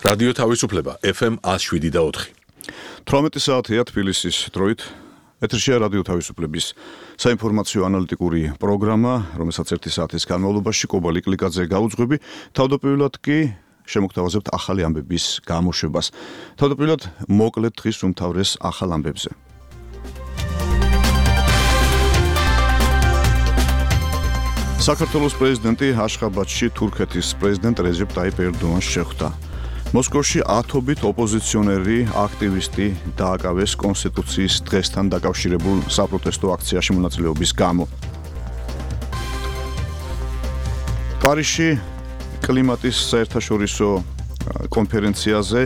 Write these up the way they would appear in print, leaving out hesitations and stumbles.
რადიო თავისუფლება FM 107.4. 18 საათია თბილისის დროით. ეთერშია რადიო თავისუფლების საინფორმაციო ანალიტიკური პროგრამა, რომელსაც 1 საათის განმავლობაში კობა ლიკლიკაძე გაუძღვები. თავდაპირველად კი შემოგთავაზებთ ახალი ამბების გამოშვებას. თავდაპირველად მოკლედ დღის უმთავრეს ახალ ამბებზე. საქართველოს პრეზიდენტი აშხაბადში თურქეთის პრეზიდენტ რეჯეპ ტაიპ ერდოანს შეხვდა. მოსკოვში ათობით ოპოზიციონერი აქტივისტი დააკავეს კონსტიტუციის დღესთან დაკავშირებულ საპროტესტო აქციაში მონაწილეობის გამო. პარიზში კლიმატის საერთაშორისო კონფერენციაზე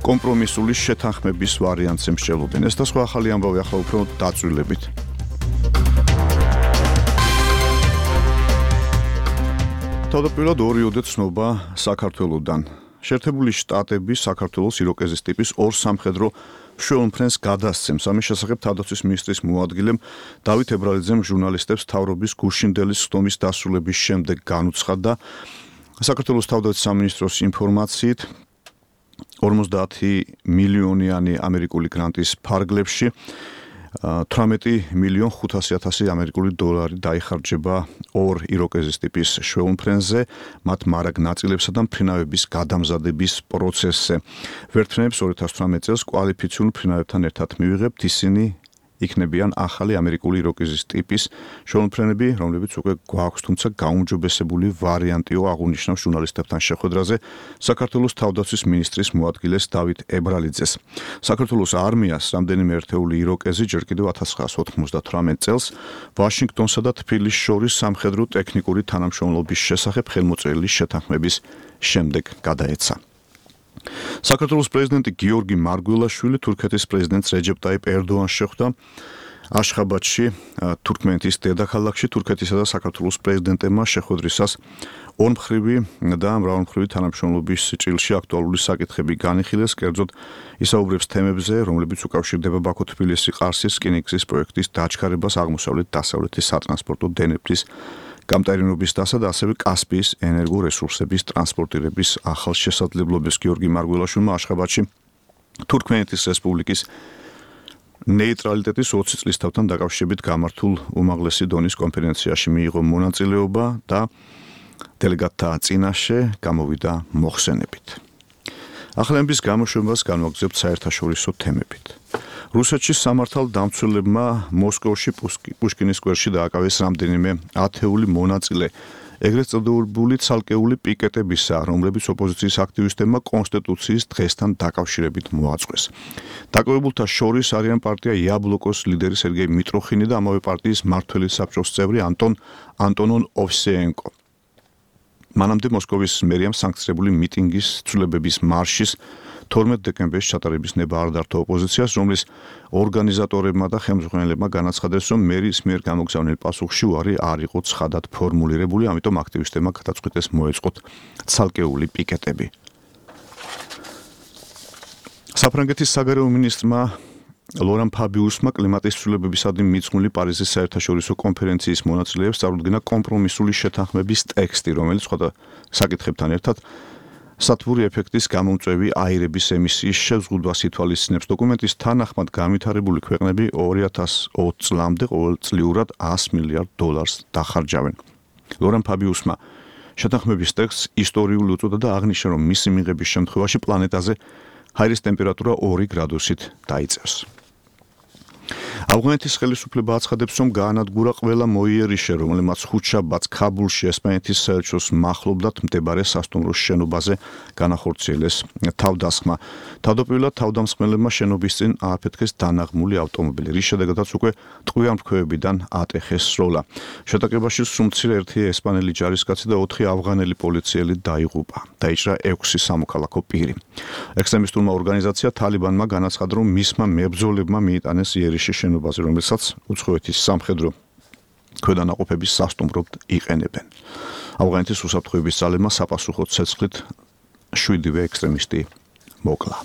კომპრომისული შეთანხმების ვარიანტს ემსჯელობენ. ეს და სხვა ახალი ამბავი ახლა უფრო დაწვრილებით. თავდაპირველად ორი ოდე ცნობა საქართველოდან. შეერთებული შტატები საქართველოს იროკეზის ტიპის ორ სამხედრო მშვენივრს გადასცემს. ამის შესახებ თავდაცვის მინისტრის მოადგილემ დავით ებრალიძემ ჟურნალისტებს თავრობის გუშინდელის ხდომის დასრულების შემდეგ განუცხადა. საქართველოს თავდაცვის სამინისტროს ინფორმაციით 50 მილიონიანი ამერიკული გრანტის ფარგლებში 18,500,000 ამერიკული დოლარი დაიხარჯება ორ იროკეზის ტიპის მშვენივრზე, მათ მარაგ ნაწილებსა და მფრინავების გადამზადების პროცესზე. ვერტმფრენებს 2018 წელს კვალიფიციურ მფრინავებთან ერთად მივიღებთ, ისინი იქნებიან ახალი ამერიკული იროკეზის ტიპის მშვენივრები, რომლებიც უკვე გვაქვს, თუმცა გაუმჯობესებული ვარიანტიო, აღნიშნავს ჟურნალისტებთან შეხვედრაზე საქართველოს თავდაცვის მინისტრის მოადგილეს დავით ებრალიძეს. საქართველოს არმიას რამდენიმე ერთეული იროკეზი ჯერ კიდევ 1998 წელს ვაშინგტონსა და თბილისს შორის სამხედრო ტექნიკური თანამშრომლობის შესახებ ხელმოწერილი შეთანხმების შემდეგ გადაეცა. საქართველოს პრეზიდენტი გიორგი მარგველაშვილი თურქეთის პრეზიდენტს რეჯეპ ტაიპ ერდოანს შეხვდა აშხაბადში, თურქმენეთის დედაქალაქში. თურქეთისა და საქართველოს პრეზიდენტებმა შეხვედრისას ორმხრივი და მრავალმხრივი თანამშრომლობის ჭრილში აქტუალური საკითხები განიხილეს, კერძოდ ისაუბრებს თემებზე, რომლებიც უკავშირდება ბაქო-თბილისი-ყარსის რკინიგზის პროექტის დაჩქარებას, აღმოსავლეთ-დასავლეთის სატრანსპორტო დენეფლის გამტარინობის დასა და ასევე კასპიის ენერგორესურსების ტრანსპორტირების ახალ შესაძლებლობებს. გიორგი მარგველაშვილმა აშხაბადში თურქმენეთის რესპუბლიკის ნეიტრალიტეტის 20 წლის თავთან დაკავშირებით გამართულ უმაღლესი დონის კონფერენციაში მიიღო მონაწილეობა და დელეგატთა წინაშე გამოვიდა მოხსენებით. ახალების გამოშვებას განვაგრძებთ საერთაშორისო თემებით. რუსეთში სამართალდამცველებმა მოსკოვში პუშკინის სკვერში დააკავეს რამდენიმე ათეული მონაწილე, ეგრეთ წოდებული ცალკეული პიკეტებისა, რომლებიც ოპოზიციის აქტივისტებმა კონსტიტუციის დღესთან დაკავშირებით მოაწყვეს. დაკავებულთა შორის არიან პარტია იაბლოკოს ლიდერი სერგეი მიტროხინი და ამავე პარტიის მმართველი საბჭოს წევრი ანტონონ ოვსეენკო. მანამდე მოსკოვის მერიამ სანქცირებული მიტინგის ცვლილებების მარშის 12 დეკემბერს ჩატარების ნება არ დარჩა ოპოზიციას, რომლის ორგანიზატორებმა და ხელმძღვანელებმა განაცხადეს, რომ მერის მიერ გამოგზავნილ პასუხში უარი არ იყო ცხადად ფორმულირებული, ამიტომ აქტივისტებმა გადაწყვიტეს მოეწყოთ ცალკეული პიკეტები. საფრანგეთის საგარეო მინისტრმა ლორან ფაბიუსმა კლიმატის ცვლილებებისადმი მიძღვნილი პარიზის საერთაშორისო კონფერენციის მონაწილეებს წარუდგინა კომპრომისული შეთანხმების ტექსტი, რომელიც სხვა საკითხებთან ერთად სათბური ეფექტის გამომწვევი აირების ემისიის შეზღუდვას ითვალისწინებს. დოკუმენტის თანახმად განვითარებული ქვეყნები 2020 წლამდე ყოველწლიურად $100 მილიარდ დახარჯავენ. ლორან ფაბიუსმა შეთანხმების ტექსტს ისტორიული უწოდა და აღნიშნა, რომ მისი მიღების შემთხვევაში პლანეტაზე ჰაერის ტემპერატურა 2 გრადუსით დაიწევს. ავღანეთის ხელისუფლება აცხადებს, რომ გაანადგურა ყველა მოიერიშე, რომელმაც ხუთშაბათს ქაბულში ესპანეთის საელჩოს მახლობლად მდებარე სასტუმროს შენობაზე განახორციელეს თავდასხმა. თავდაპირველად თავდამსხმელებმა შენობის წინ ააფეთქეს დანაღმული ავტომობილი, რის შედეგადაც უკვე ტყვიამფრქვევებიდან ატეხეს სროლა. შეტაკებაში სუმცირე ერთი ესპანელი ჯარისკაცი და 4 ავღანელი პოლიციელი დაიღუპა. დაიჭრა 6 სამოქალაქო პირი. ექსტრემისტულმა ორგანიზაცია თალიბანმა განაცხადა, რომ მისმა მებრძოლებმა მიიტანეს იერიში შენობაზე, რომელსაც უცხოეთის სამხედრო ქვედანაყოფების სასტუმროდ იყენებენ. ავღანეთის უსაფრთხოების ძალებმა საპასუხო ცეცხლით 7 ექსტრემისტი მოკლა.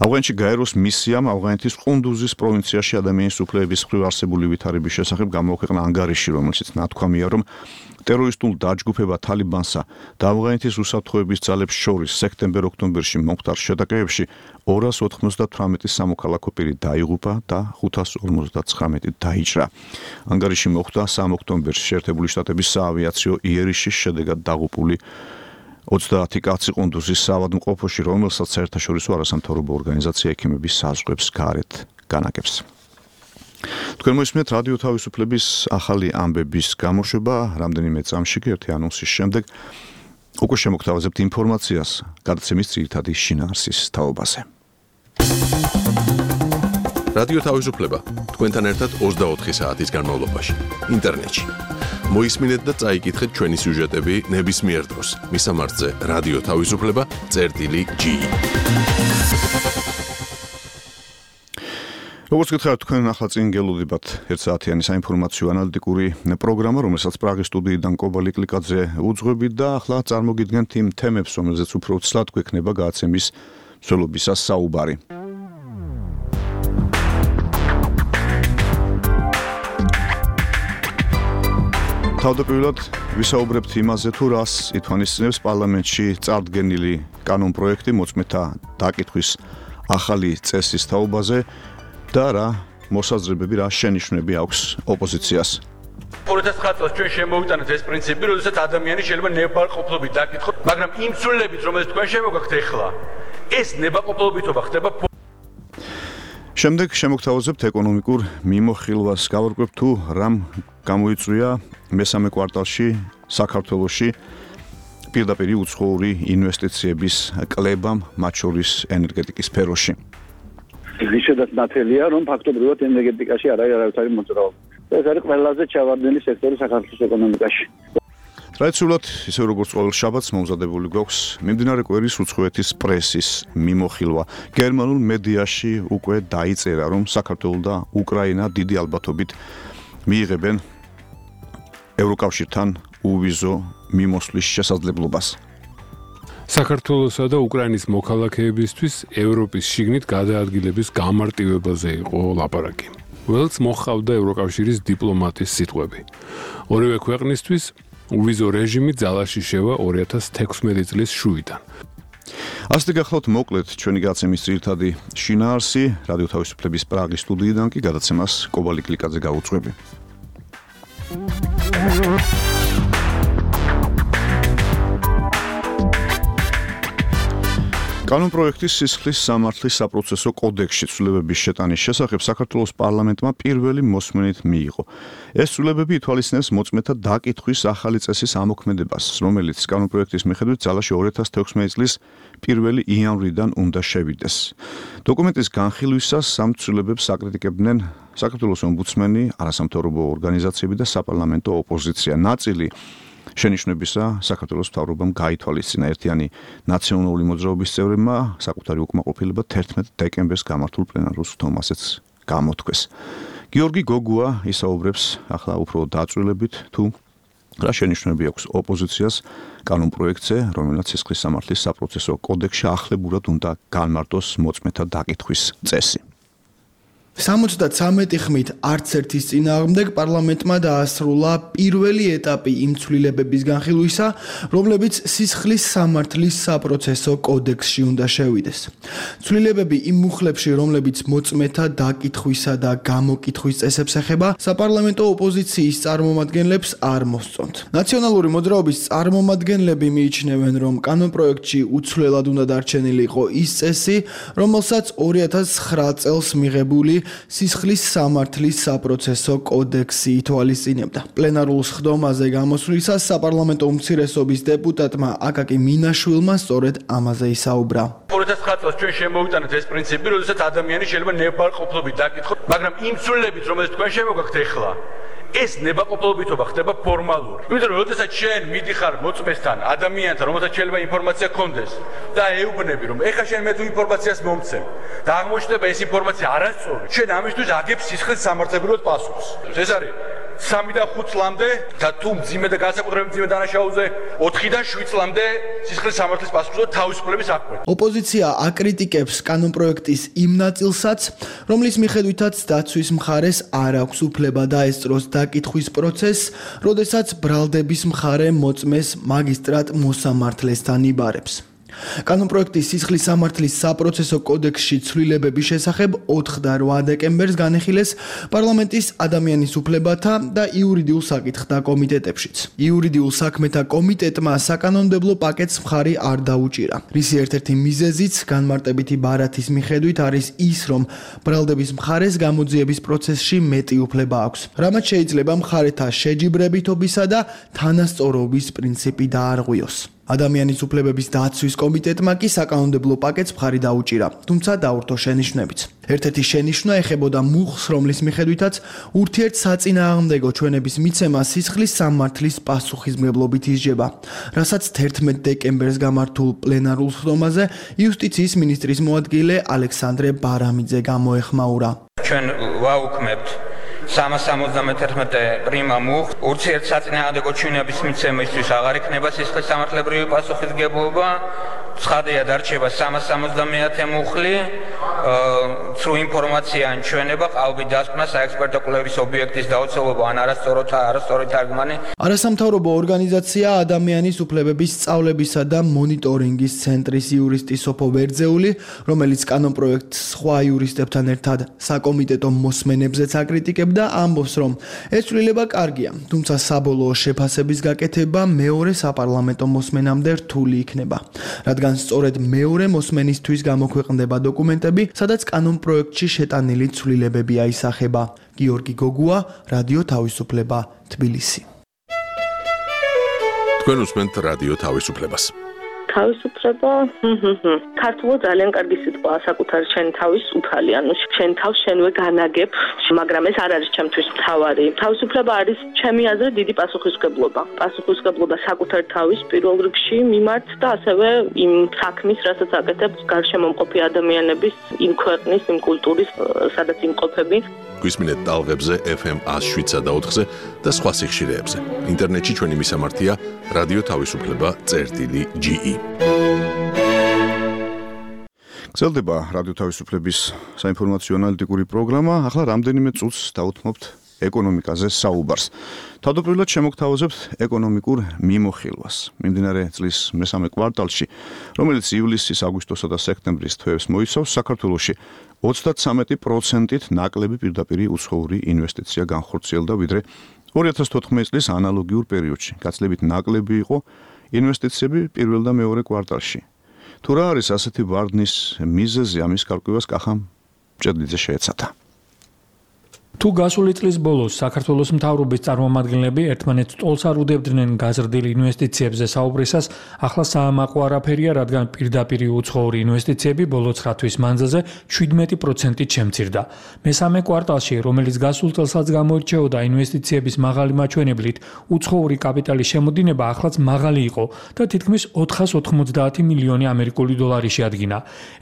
ავღანეთში გაეროს მისიამ ავღანეთის ყუნდუზის პროვინციაში ადამიანის უფლებების მხრივ არსებული ვითარების შესახებ გამოაქვეყნა ანგარიში, რომელშიც ნათქვამია, რომ ტერორისტულ დაჯგუფება თალიბანსა და ავღანეთის უსაფრთხოების ძალებს შორის სექტემბერ-ოქტომბერში მომხდარ შეტაკებებში 298 სამოქალაქო პირი დაიღუპა და 559 დაიჭრა. ანგარიში მოხდა 3 ოქტომბერში შეერთებული შტატების საავიაციო იერიშის შედეგად დაღუპული 30 კაცი ყუნდუზის საავადმყოფოში, რომელსაც საერთაშორისო არასამთავრობო ორგანიზაცია ექიმების საზღვრებს გარეთ განაგებს. თქვენ მოისმენთ რადიო თავისუფლების ახალი ამბების გამოშვება, რამდენიმე წამში ერთი ანონსის შემდეგ უკვე შემოგთავაზებთ ინფორმაციას გადაცემის ძირითადი შინაარსის თაობაზე. რადიო თავისუფლება თქვენთან ერთად 24 საათის განმავლობაში ინტერნეტში. მოისმინეთ და წაიკითხეთ ჩვენი სიუჟეტები ნებისმიერ დროს. მისამართზე რადიო თავისუფლება.ge. როგორც გითხარით, თქვენ ახლა წინ გელოდებათ ერთსაათიანი საინფორმაციო ანალიტიკური პროგრამა, რომელსაც პრაღის სტუდიიდან კობალი კლიკაძე უძღვებით და ახლა წარმოგიდგენთ იმ თემებს, რომელზეც უფრო ცლად გვექნება გადაცემის მსვლელობისას საუბარი. თავდაპირველად ვისაუბრებთ იმაზე, თუ რას ითვალისწინებს პარლამენტში წარდგენილი კანონპროექტი მოწმეთა დაკითხვის ახალი წესის თაობაზე და რა მოსაზრებები, რა შენიშვნები აქვს ოპოზიციას. 2009 წელს ჩვენ შემოვიტანეთ ეს პრინციპი, როდესაც ადამიანი შეიძლება ნებაყოფლობით დაკითხოს, მაგრამ იმ ცვლილებით, რომელიც თქვენ შემოგაქვთ ახლა, ეს ნებაყოფლობითობა ხდება. შემდეგ შემოგთავაზებთ ეკონომიკურ მიმოხილვას, გავარკვევთ თუ რამ გამოიწვია მესამე კვარტალში საქართველოში პირდაპირი უცხოური ინვესტიციების კლებამ, მათ შორის ენერგეტიკის სფეროში. ისედაც ნათელია, რომ ფაქტობრივად ენერგეტიკაში არ არის არავითარი მოძრაობა. ეს არის ყველაზე ჩავარდნილი სექტორი საქართველოს ეკონომიკაში. ტრადიციულად, ისე როგორც ყოველ შაბათს მომზადებული გვაქვს მიმდინარე კვირის უცხოეთის პრესის მიმოხილვა. გერმანულ მედიაში უკვე დაიწერა, რომ საქართველო და უკრაინა დიდი ალბათობით მიიღებენ ევროკავშირთან უვიზო მიმოსვლის შესაძლებლობას. საქართველოსა და უკრაინის მოქალაქეებისთვის ევროპის შიგნით გადაადგილების გამარტივებაზე იყო ლაპარაკი. ველს მოჰყავდა ევროკავშირის დიპლომატის სიტყვები. ორივე ქვეყნისთვის უვიზო რეჟიმი ძალაში შევა 2016 წლის შუიდან. ასეთი გახლავთ მოკლედ ჩვენი გადაცემის ძირითადი შინაარსი, რადიო თავისუფლების პრაღის სტუდიიდან კი გადაცემას კობალი კლიკაძე გაუძღვები. კანონპროექტის სისხლის სამართლის საპროცესო კოდექსში ცვლილებების შეტანის შესახებ საქართველოს პარლამენტმა პირველი მოსმენით მიიღო. ეს ცვლილებები ითვალისწინებს მოწმეთა დაკითხვის ახალი წესის ამოქმედებას, რომელიც კანონპროექტის მიხედვით ძალაში 2016 წლის 1 იანვრიდან უნდა შევიდეს. დოკუმენტის განხილვისას ამ ცვლილებებს აკრიტიკებდნენ საქართველოს ომბუდსმენი, არასამთავრობო ორგანიზაციები და საპარლამენტო ოპოზიცია. ნაწილი შენიშვნებისა საქართველოს მთავრობამ გაითვალისწინა. ერთიანი ნაციონალური მოძრაობის წევრებმა საკუთარი უკმაყოფილება 11 დეკემბერს გამართულ პლენარულ სხდომასაც გამოთქვეს. გიორგი გოგუა ისაუბრებს ახლა უფრო დაწვრილებით თუ რა შენიშვნები აქვს ოპოზიციას კანონპროექტზე, რომელსაც სისხლის სამართლის საპროცესო კოდექსში ახლებურად უნდა განმარტოს მოწმეთა დაკითხვის წესი. 73 ხმით არც ერთის წინააღმდეგ პარლამენტმა დაასრულა პირველი ეტაპი იმ ცვლილებების განხილვისა, რომლებიც სისხლის სამართლის საპროცესო კოდექსში უნდა შევიდეს. ცვლილებები იმ მუხლებში, რომლებიც მოწმეთა დაკითხვისა და გამოკითხვის წესებს ეხება, საპარლამენტო ოპოზიციის წარმომადგენლებს არ მოსწონთ. ნაციონალური მოძრაობის წარმომადგენლები მიიჩნევენ, რომ კანონპროექტში უცვლელად უნდა დარჩენილი იყო ის წესი, რომელსაც 2009 წელს მიღებული სისხლის სამართლის საპროცესო კოდექსი ითვალისწინებდა. პლენარულ სხდომაზე გამოსვლისას საპარლამენტო უმცირესობის დეპუტატმა აკაკი მინაშვილმა სწორედ ამაზე ისაუბრა. 2009 წელს ჩვენ შემოვიტანეთ ეს პრინციპი, როდესაც ადამიანი შეიძლება ნებაყოფლობით დაკითხოს, მაგრამ იმ ცვლილებით, რომელიც თქვენ შემოგაქვთ ახლა, ეს ნებაყოფლობითობა ხდება ფორმალური. იმიტომ რომ როდესაც შენ მიდიხარ მოწმესთან, ადამიანთან, რომელსაც შეიძლება ინფორმაცია გქონდეს და ეუბნები, რომ ეხლა შენ მე თუ ინფორმაციას მომცემ და აღმოჩნდება ეს ინფორმაცია არასწორი, შენ ამისთვის აგებს სისხლის სამართლებრივად პასუხს. ეს არის 3-დან 5 წლამდე და თუ მძიმე და განსაკუთრებით მძიმე დანაშაულზე 4-დან 7 წლამდე სისხლის სამართლის პასუხისმგებლობა თავისუფლების აღკვეთა. ოპოზიცია აკრიტიკებს კანონპროექტის იმ ნაწილსაც, რომლის მიხედვითაც დაცვის მხარეს არ აქვს უფლება დაესწროს დაკითხვის პროცესს, როდესაც ბრალდების მხარე მოწმეს მაგისტრატ მოსამართლესთან იბარებს. კანონპროექტის სისხლის სამართლის საპროცესო კოდექსში ცვლილებების შესახებ 4 და 8 დეკემბერს განეხილეს პარლამენტის ადამიანის უფლებათა და იურიდიულ საკითხთა კომიტეტებშიც. იურიდიულ საქმეთა კომიტეტმა საკანონმდებლო პაკეტს მხარი არ დაუჭირა. რისი ერთ-ერთი მიზეზიც განმარტებითი ბარათის მიხედვით არის ის, რომ ბრალდების მხარეს გამოძიების პროცესში მეტი უფლება აქვს. რამაც შეიძლება მხარეთა შეჯიბრებითობისა და თანასწორობის პრინციპი დაარღვიოს. ადამიანის უფლებების დაცვის კომიტეტმა კი საკანონმდებლო პაკეტს მხარი დაუჭირა, თუმცა დაურთო შენიშვნებიც. ერთ-ერთი შენიშვნა ეხებოდა მუხს, რომლის მიხედვითაც ურთიერთსაწინააღმდეგო ჩვენების მიცემა სისხლის სამართლის პასუხისმგებლობით ისჯება, რასაც 11 დეკემბერს გამართულ პლენარულ სხდომაზე იუსტიციის მინისტრის მოადგილე ალექსანდრე ბარამიძე გამოეხმაურა. ჩვენ ვაუქმებთ 371 პრიმა მუხ ურთიერთსაწინააღმდეგო ჩვენების მიცემისთვის აღარ იქნება სისხლის სამართლებრივი პასუხისმგებლობა. ცხადია დარჩება 370 მუხლი, ცრუ ინფორმაცია ან ჩვენება, ყალბი დასკვნა, საექსპერტო კვლევის ობიექტის დაუცველობა ან არასწორი თარგმანი. არასამთავრობო ორგანიზაცია ადამიანის უფლებების სწავლებისა და მონიტორინგის ცენტრის იურისტი სოფო ვერძეული, რომელიც კანონპროექტს სხვა იურისტებთან ერთად საკომიტეტო მოსმენებზეც აკრიტიკებდა, ამბობს, რომ ეს ცვლილება კარგია, თუმცა საბოლოო შეფასების გაკეთება მეორე საპარლამენტო მოსმენამდე რთული იქნება, რადგან სწორედ მეორე მოსმენისთვის გამოქვეყნდება დოკუმენტები, სადაც კანონპროექტში შეტანილი ცვლილებები აისახება. გიორგი გოგუა, რადიო თავისუფლება, თბილისი. თქვენ უსმენთ რადიო თავისუფლებას. თავისუფლება, ქართულად ძალიან კარგი სიტყვაა საკუთარ შენ თავის უფალი, ანუ შენ თავს შენვე განაგებ, მაგრამ ეს არ არის ჩემთვის მთავარი. თავისუფლება არის ჩემი აზრით დიდი პასუხისმგებლობა. პასუხისმგებლობა საკუთარ თავის პირველ რიგში მიმართ და ასევე იმ საქმის, რასაც აკეთებს გარშემომყოფი ადამიანების, იმ ქვეყნის, იმ კულტურის, სადაც იმყოფები. გვისმინეთ ტალღებზე FM 107.4-ზე და სხვა სიხშირეებზე. ინტერნეტში ჩვენი მისამართია რადიო თავისუფლება.ge. გრძელდება რადიო თავისუფლების საინფორმაციო ანალიტიკური პროგრამა. ახლა რამდენიმე წუთს დავუთმობთ ეკონომიკაზე საუბარს. თავდაპირველად შემოგთავაზებთ ეკონომიკურ მიმოხილვას. მიმდინარე წლის მესამე კვარტალში, რომელიც ივლისის, აგვისტოსა და სექტემბრის თვეებს მოიცავს, საქართველოში 33%-ით ნაკლები პირდაპირი უცხოური ინვესტიცია განხორციელდა, ვიდრე 2014 წლის ანალოგიურ პერიოდში. გაცილებით ნაკლები იყო ინვესტიციები პირველ და მეორე კვარტალში. თუ რა არის ასეთი ვარდნის მიზეზი, ამის გარკვევას კახამ ჭედლიძე შეეცადა. თუ გასული წლის ბოლოს საქართველოს მთავრობის წარმომადგენლები ერთმანეთს ტოლს არ უდევდნენ გაზრდილ ინვესტიციებზე საუბრისას, ახლა საამაყო არაფერია, რადგან პირდაპირი უცხოური ინვესტიციები ბოლო 9 თვის მანძილზე 17%-ით შემცირდა. მესამე კვარტალში, რომელიც გასულ წელსაც გამოირჩეოდა ინვესტიციების მაღალი მაჩვენებლით, უცხოური კაპიტალის შემოდინება ახლაც მაღალი იყო და თითქმის 490 მილიონი ამერიკული დოლარი შეადგინა.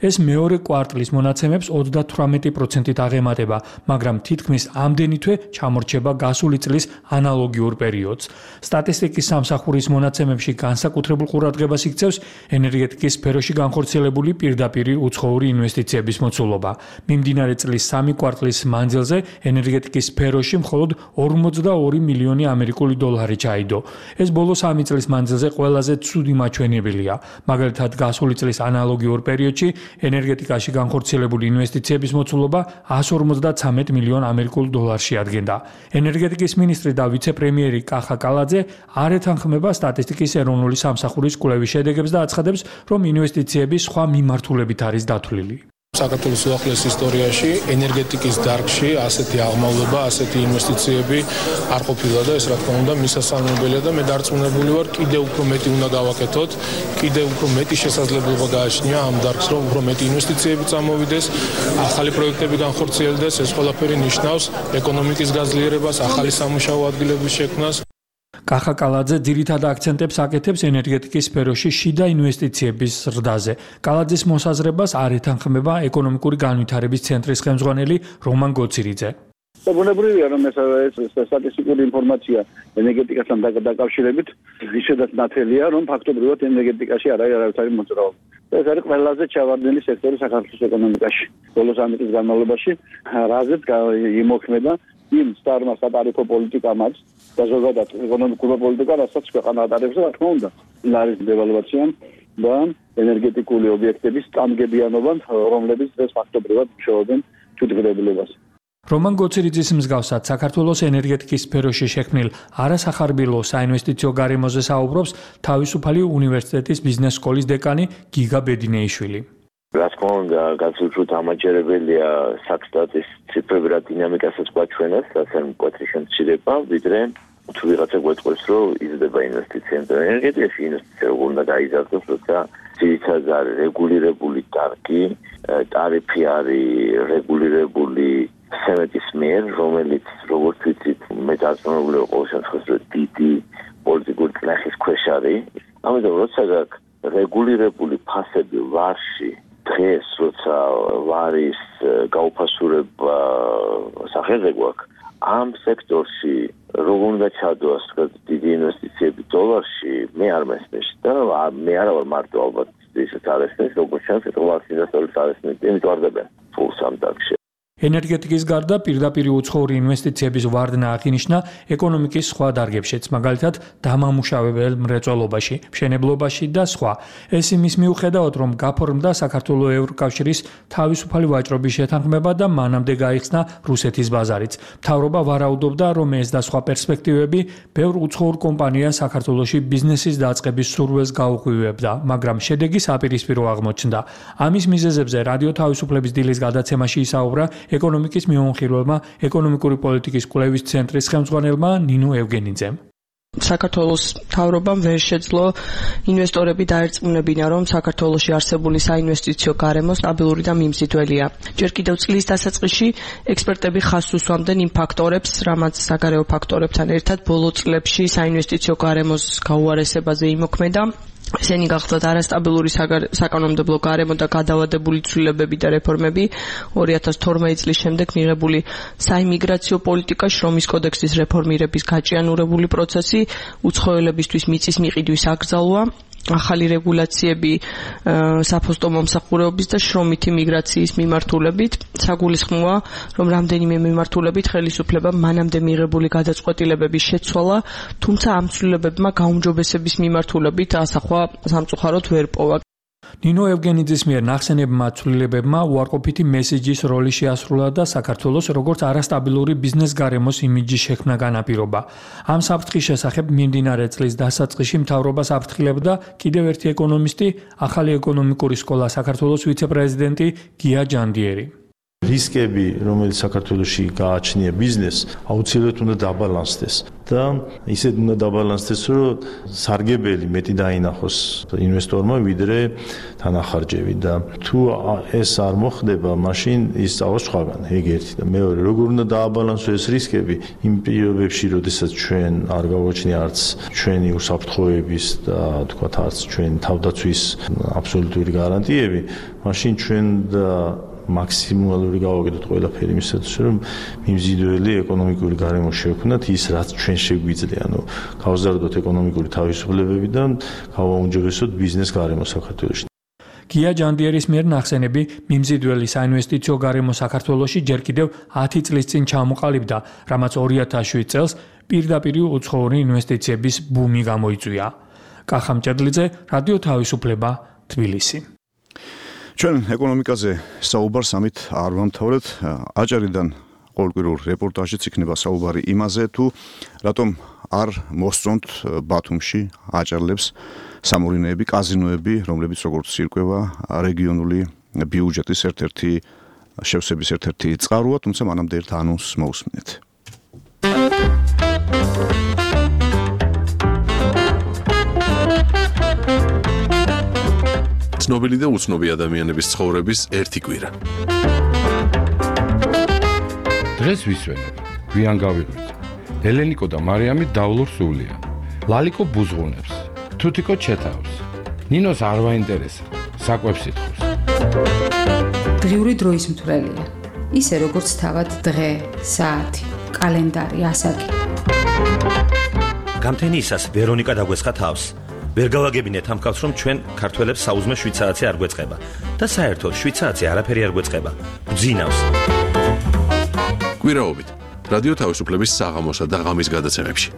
ეს მეორე კვარტლის მონაცემებს 38%-ით აღემატება, მაგრამ თითქმის ამდენი თვე ჩამორჩება გასული წლის ანალოგიურ პერიოდს. სტატისტიკის სამსახურის მონაცემებში განსაკუთრებულ ყურადღებას იქცევს ენერგეტიკის სფეროში განხორციელებული პირდაპირი უცხოური ინვესტიციების მოცულობა. მიმდინარე წლის 3 კვარტლის მანძილზე ენერგეტიკის სფეროში მხოლოდ 42 მილიონი ამერიკული დოლარი ჩაიდო. ეს ბოლო 3 წლის მანძილზე ყველაზე ცუდი მაჩვენებელია. მაგალითად, გასული წლის ანალოგიურ პერიოდში ენერგეტიკაში განხორციელებული ინვესტიციების მოცულობა 153 მილიონ ამერიკულ დოლარში ადგენდა. ენერგეტიკის მინისტრი და ვიცე-პრემიერი კახა კალაძე არ ეთანხმება სტატისტიკის ეროვნული სამსახურის კვლევის შედეგებს და აცხადებს, რომ ინვესტიციები სხვა მიმართულებით არის დათვლილი. საქართველოს უახლოეს ისტორიაში ენერგეტიკის დარგში ასეთი აღმავლობა, ასეთი ინვესტიციები არ ყოფილა და ეს რა თქმა უნდა მისასალმებელია და მე დარწმუნებული ვარ, კიდევ უფრო მეტი უნდა გავაკეთოთ, კიდევ უფრო მეტი შესაძლებლობა გააჩნია ამ დარგს, რომ უფრო მეტი ინვესტიციები წამოვიდეს, ახალი პროექტები განხორციელდეს, ეს ყველაფერი ნიშნავს ეკონომიკის გაძლიერებას, ახალი სამუშაო ადგილების შექმნას. კახა კალაძე ძირითად აქცენტებს აკეთებს ენერგეტიკის სფეროში შიდა ინვესტიციების ზრდაზე. კალაძის მოსაზრებას არ ეთანხმება ეკონომიკური განვითარების ცენტრის ხელმძღვანელი რომან გოცირიძე. და ბუნებრივია რომ ეს სტატისტიკური ინფორმაცია ენერგეტიკასთან დაკავშირებით ისედაც ნათელია რომ ფაქტობრივად ენერგეტიკაში არ არის არავითარი მოძრაობა. ეს არის ყველაზე ჩავარდნილი სექტორი საქართველოს ეკონომიკაში. ბოლოს ამ წლის განმავლობაში რაზეც იმოქმედა იმ სტარმა სატარიფო პოლიტიკამაც და ზოგადად ეკონომიკურ პოლიტიკა, რასაც ქვეყანა ატარებს, რა თქმა უნდა, არის დევალვაცია და ენერგეტიკული ობიექტების სტამგებიანობა, რომლებიც დღეს ფაქტობრივად მუშაობენ თვითგრებულებას. რომან გოცირიძის მსგავსად საქართველოს ენერგეტიკის სფეროში შექმნილ არასახარბილო საინვესტიციო გარემოზე საუბრობს თავისუფალი უნივერსიტეტის ბიზნეს სკოლის დეკანი გიგა ბედინეიშვილი. რა თქმა უნდა, გაცილებით ამაჯერებელია საქსტატის ციფრები რა დინამიკასაც გვაჩვენებს, რაც არ მკვეთრი შემცირება, ვიდრე თუ ვიღაცა გვეტყვის, რომ იზრდება ინვესტიციები ენერგეტიკაში, ინვესტიცია როგორ უნდა გაიზარდოს, როცა ძირითადად არის რეგულირებული დარგი, ტარიფი არის რეგულირებული სემეტის მიერ, რომელიც როგორც ვიცით, მე დარწმუნებული ვარ ყოველ შემთხვევაში, რომ დიდი პოლიტიკური წნეხის ქვეშ არის. ამიტომ როცა გაქვს რეგულირებული ფასები ვარში, დღეს როცა ვარის გაუფასურება სახელზე გვაქვს, ამ სექტორში როგორ უნდა ჩადოს დიდი ინვესტიციები დოლარში, მე არ მესმის და მე არა ვარ მარტო ალბათ ისეთ არესმის, როგორც ჩანს, დოლარის ინვესტორებს არესმის, იმიტომ არ დებენ ფულს ამ დარგში. ენერგეტიკის გარდა პირდაპირ უცხოური ინვესტიციების ვარდნა აღინიშნა ეკონომიკის სხვა დარგებშიც, მაგალითად დამამუშავებელ მრეწველობაში, მშენებლობაში და სხვა. ეს იმის მიუხედავად, რომ გაფორმდა საქართველოს ევროკავშირის თავისუფალი ვაჭრობის შეთანხმება და მანამდე გაიხსნა რუსეთის ბაზარიც. მთავრობა ვარაუდობდა, რომ ეს და სხვა პერსპექტივები ბევრ უცხოურ კომპანიას საქართველოში ბიზნესის დაწყების სურვილს გაუღვივებდა, მაგრამ შედეგი საპირისპირო აღმოჩნდა. ამის მიზეზებზე რადიო თავისუფლების დილის გადაცემაში ისაუბრა ეკონომიკის მიმოხილველმა ეკონომიკური პოლიტიკის კვლევის ცენტრის ხელმძღვანელმა ნინო ევგენიძემ. საქართველოს მთავრობამ ვერ შეძლო ინვესტორები დაერწმუნებინა, რომ საქართველოში არსებული საინვესტიციო გარემო სტაბილური და მიმზიდველია. ჯერ კიდევ წლის დასაწყისში ექსპერტები ხაზს უსვამდნენ იმ ფაქტორებს, რამაც საგარეო ფაქტორებთან ერთად ბოლო წლებში საინვესტიციო გარემოს გაუარესებაზე იმოქმედა. ესენი გახლდათ არასტაბილური საკანონმდებლო გარემო და გადავადებული ცვლილებები და რეფორმები 2012 წლის შემდეგ მიღებული საიმიგრაციო პოლიტიკა, შრომის კოდექსის რეფორმირების გაჭიანურებული პროცესი, უცხოელებისთვის მიწის მიყიდვის აკრძალვა, ახალი რეგულაციები საფოსტო მომსახურეობის და შრომითი მიგრაციის მიმართულებით. საგულისხმოა, რომ რამდენიმე მიმართულებით ხელისუფლებამ მანამდე მიღებული გადაწყვეტილებების შეცვალა, თუმცა ამ ცვლილებებმა გაუმჯობესების მიმართულებით ასახვა სამწუხაროდ ვერ პოვა. ნინო ევგენიძის მიერ ნახსენებმა ცვლილებებმა უარყოფითი მესიჯის როლი შეასრულა და საქართველოს როგორც არასტაბილური ბიზნეს გარემოს იმიჯის შექმნა განაპირობა. ამ საფრთხის შესახებ მიმდინარე წლის დასაწყისში მთავრობას აფრთხილებდა კიდევ ერთი ეკონომისტი, ახალი ეკონომიკური სკოლა საქართველოს ვიცე-პრეზიდენტი გია ჯანდიერი. რისკები, რომელიც საქართველოში გააჩნია ბიზნესს, აუცილებლად უნდა დაბალანსდეს და ისეთ უნდა დაბალანსდეს, რომ სარგებელი მეტი დაინახოს ინვესტორმა, ვიდრე თანახარჯები და თუ ეს არ მოხდება, მაშინ ისწავლოს სხვაგან, ეგ ერთი და მეორე, როგორ უნდა დააბალანსოს ეს რისკები იმ პირობებში, როდესაც ჩვენ არ გავაჩნია არც ჩვენი უსაფრთხოების და თქვათ არც ჩვენ თავდაცვის აბსოლუტური გარანტიები, მაშინ ჩვენ და მაქსიმალური გავაკეთოთ ყველაფერი იმისათვის, რომ მიმზიდველი ეკონომიკური გარემო შევქმნათ ის, რაც ჩვენ შეგვიძლია, გავზარდოთ ეკონომიკური თავისუფლებები და გავაუმჯობესოთ ბიზნეს გარემო საქართველოში. გია ჯანდიერის მიერ ნახსენები მიმზიდველი საინვესტიციო გარემო საქართველოში ჯერ კიდევ 10 წლის წინ ჩამოყალიბდა, რამაც 2007 წელს პირდაპირ უცხოური ინვესტიციების ბუმი გამოიწვია. კახა მჭედლიძე, რადიო თავისუფლება, თბილისი. ჩვენ ეკონომიკაზე საუბარს ამით არ ვამთავრეთ. აჭარიდან ყოველკვირეულ რეპორტაჟიც იქნება საუბარი იმაზე, თუ რატომ არ მოსწონთ ბათუმში აჭარლებს სამორინეები, კაზინოები, რომლებიც როგორც ირკვევა რეგიონული ბიუჯეტის ერთ-ერთი შევსების ერთ-ერთი წყაროა, თუმცა მანამდე ერთ ანონსს მოусმინეთ. ცნობილი და უცნობი ადამიანების ცხოვრების ერთი კვირა. დღეს ვისვენებ, გვიან გავიღვიძე. ელენიკო და მარიამი დავლურ სულია. ლალიკო ბუზღუნებს, თუთიკო ჩეთავს. ნინოს არ ვაინტერესა, საკვებს ითხოვს. დღიური დროის მთვრელია. ისე როგორც თავად დღე, საათი, კალენდარი, ასაკი. გამთენიისას ვერონიკა დაგვესხა თავს. ვერ გავაგებინეთ ამ ხალხს, რომ ჩვენ ქართველებს საუზმე 7 საათი არ გვეწყება და საერთოდ 7 საათი არაფერი არ გვეწყება. გძინავს. კვირაობით რადიო თავისუფლების საღამოსა და ღამის გადაცემებში.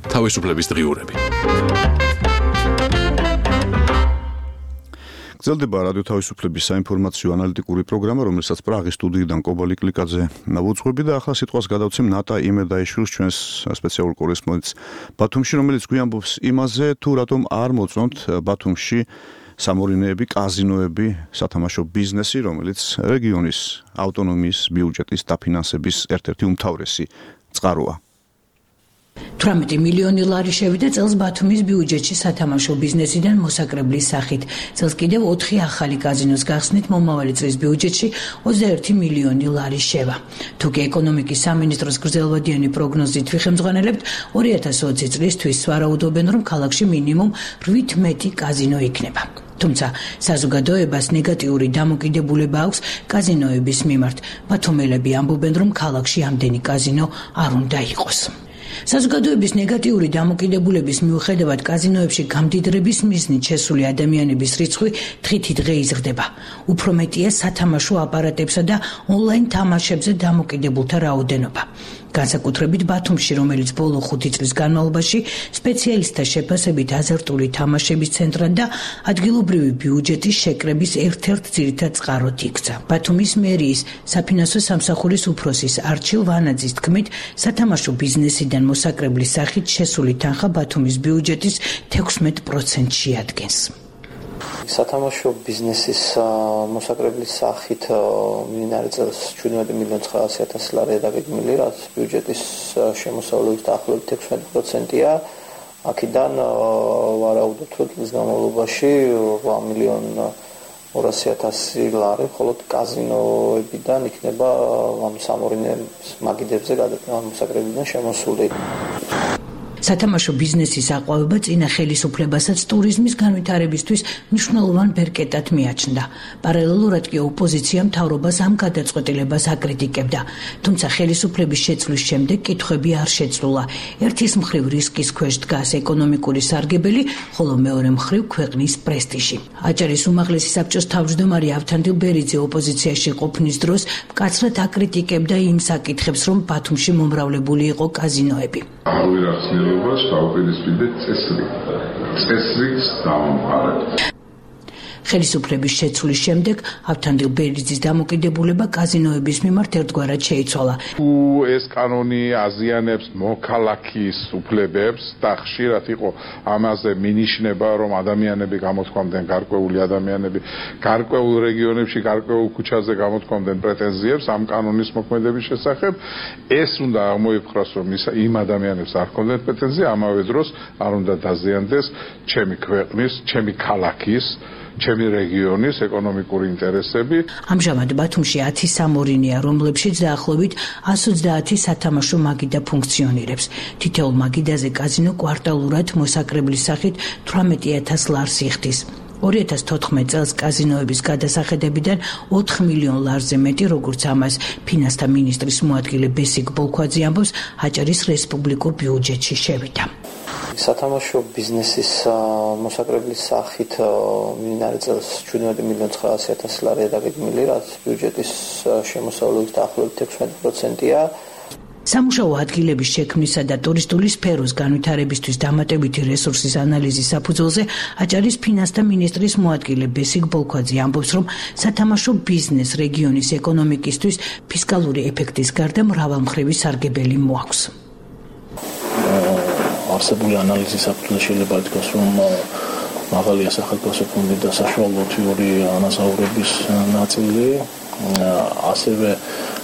თავისუფლების დღიურები. გრძელდება რადიო თავისუფლების საინფორმაციო ანალიტიკური პროგრამა, რომელსაც პრაღის სტუდიიდან კობალი კლიკაძე ვუძღვები და ახლა სიტყვას გადავცემ ნატა იმედაიშვილს, ჩვენს სპეციალურ კორესპონდენტს ბათუმში, რომელიც გვიამბობს იმაზე, თუ რატომ არ მოწონთ ბათუმში სამორინეები, კაზინოები, სათამაშო ბიზნესი, რომელიც რეგიონის ავტონომიის ბიუჯეტის დაფინანსების ერთ-ერთი უმთავრესი წყაროა. 18 მილიონი ლარი შევიდა წელს ბათუმის ბიუჯეტში სათამაშო ბიზნესიდან მოსაკრებლის სახით. წელს კიდევ 4 ახალი კაზინოს გახსნით მომავალი წლის ბიუჯეტში 21 მილიონი ლარი შევა. თუკი ეკონომიკის სამინისტროს გრძელვადიანი პროგნოზით ვიხემძღვანელებთ, 2020 წლისთვის ვარაუდობენ, რომ ქალაქში მინიმუმ 8 მეტი კაზინო იქნება. თუმცა საზოგადოებას ნეგატიური დამოკიდებულება აქვს კაზინოების მიმართ. ბათუმელები ამბობენ, რომ ქალაქში ამდენი კაზინო არ უნდა იყოს. საზოგადოების ნეგატიური დამოკიდებულების მიუხედავად კაზინოებში გამდიდრების მიზნით შესული ადამიანების რიცხვი დღითიდღე იზრდება. უფრო მეტია სათამაშო აპარატებსა და ონლაინ თამაშებზე დამოკიდებულთა რაოდენობა. განსაკუთრებით ბათუმში, რომელიც ბოლო 5 წლის განმავლობაში სპეციალისტთა შეფასებით აზარტული თამაშების ცენტრად და ადგილობრივი ბიუჯეტის შეკრების ერთ-ერთ ძირითად წყაროდ იქცა. ბათუმის მერიის საფინანსო სამსახურის უფროსის არჩილ ვანაძის თქმით, სათამაშო ბიზნესიდან მოსაკრებლის სახით შესული თანხა ბათუმის ბიუჯეტის 16% შეადგენს. სათამაშო ბიზნესის მოსაკრებლის სახით მიმდინარე წელს 17 მილიონ 900,000 ლარია დაგეგმილი, რაც ბიუჯეტის შემოსავლების დაახლოებით 16%-ია. აქედან ვარაუდობთ, რომ წლის განმავლობაში 8 მილიონ 200,000 ლარი მხოლოდ კაზინოებიდან იქნება სამორინეების მაგიდებზე მოსაკრებიდან შემოსული. სათამაშო ბიზნესის აყვავება წინა ხელისუფლებასაც ტურიზმის განვითარებისთვის მნიშვნელოვან ბერკეტად მიაჩნდა. პარალელურად კი ოპოზიცია მთავრობას ამ გადაწყვეტილებას აკრიტიკებდა. თუმცა ხელისუფლების შეცვლის შემდეგ კითხვები არ შეცვლა. ერთის მხრივ რისკის ქვეშ დგას ეკონომიკური სარგებელი, ხოლო მეორე მხრივ ქვეყნის პრესტიჟი. აჭარის უმაღლესი საბჭოს თავმჯდომარე ავთანდილ ბერიძე ოპოზიციაში ყოფნის დროს მკაცრად აკრიტიკებდა იმ საკითხებს, რომ ბათუმში მომრავლებული იყო კაზინოები. დაუპირისპირდეთ წესრიგს დავამყარებთ. ხელისუფლების შეცვლის შემდეგ ავთანდილ ბერიძის დამოკიდებულება კაზინოების მიმართ ერთგვარად შეიცვალა. თუ ეს კანონი აზიანებს მოქალაქის უფლებებს და ხშირად იყო ამაზე მინიშნება, რომ ადამიანები გამოთქვამდნენ გარკვეული ადამიანები გარკვეულ რეგიონებში, გარკვეულ ქუჩაზე გამოთქვამდნენ პრეტენზიებს ამ კანონის მოქმედების შესახებ, ეს უნდა აღმოიფხვრას, რომ იმ ადამიანებს არ ჰქონდათ პრეტენზია, ამავე დროს არ უნდა დაზიანდეს ჩემი ქვეყნის, ჩემი ქალაქის ჩემი რეგიონის ეკონომიკური ინტერესები. ამჟამად ბათუმში 10 სამორინეა, რომლებშიც დაახლოებით 130 სათამაშო მაგიდა ფუნქციონირებს. თითოეულ მაგიდაზე კაზინო კვარტალურად მოსაკრებლის სახით 18,000 ლარს იხდის. 2014 წელს კაზინოების გადასახედებიდან 4 მილიონ ლარზე მეტი, როგორც ამას ფინანსთა მინისტრის მოადგილე ბესიკ ბოლქვაძე ამბობს, აჭარის რესპუბლიკურ ბიუჯეტში შევიდა. სათამაშო ბიზნესის მოსაკრებლის სახით მიმდინარე წელს 17 მილიონ 900,000 ლარია დაგეგმილი, რაც ბიუჯეტის შემოსავლების დაახლოებით 16%-ია. სამუშაო ადგილების შექმნისა და ტურისტული სფეროს განვითარებისთვის დამატებითი რესურსის ანალიზის საფუძველზე აჭარის ფინანსთა მინისტრის მოადგილე ბესიკ ბოლქვაძე ამბობს, რომ სათამაშო ბიზნეს რეგიონის ეკონომიკისთვის ფისკალური ეფექტის გარდა მრავალმხრივი სარგებელი მოაქვს. არსებული ანალიზის საფუძველზე შეიძლება ითქვას, რომ მაღალია სახელმწიფო ფონდი და საშუალო თვიური ანაზღაურების ნაწილი, ასევე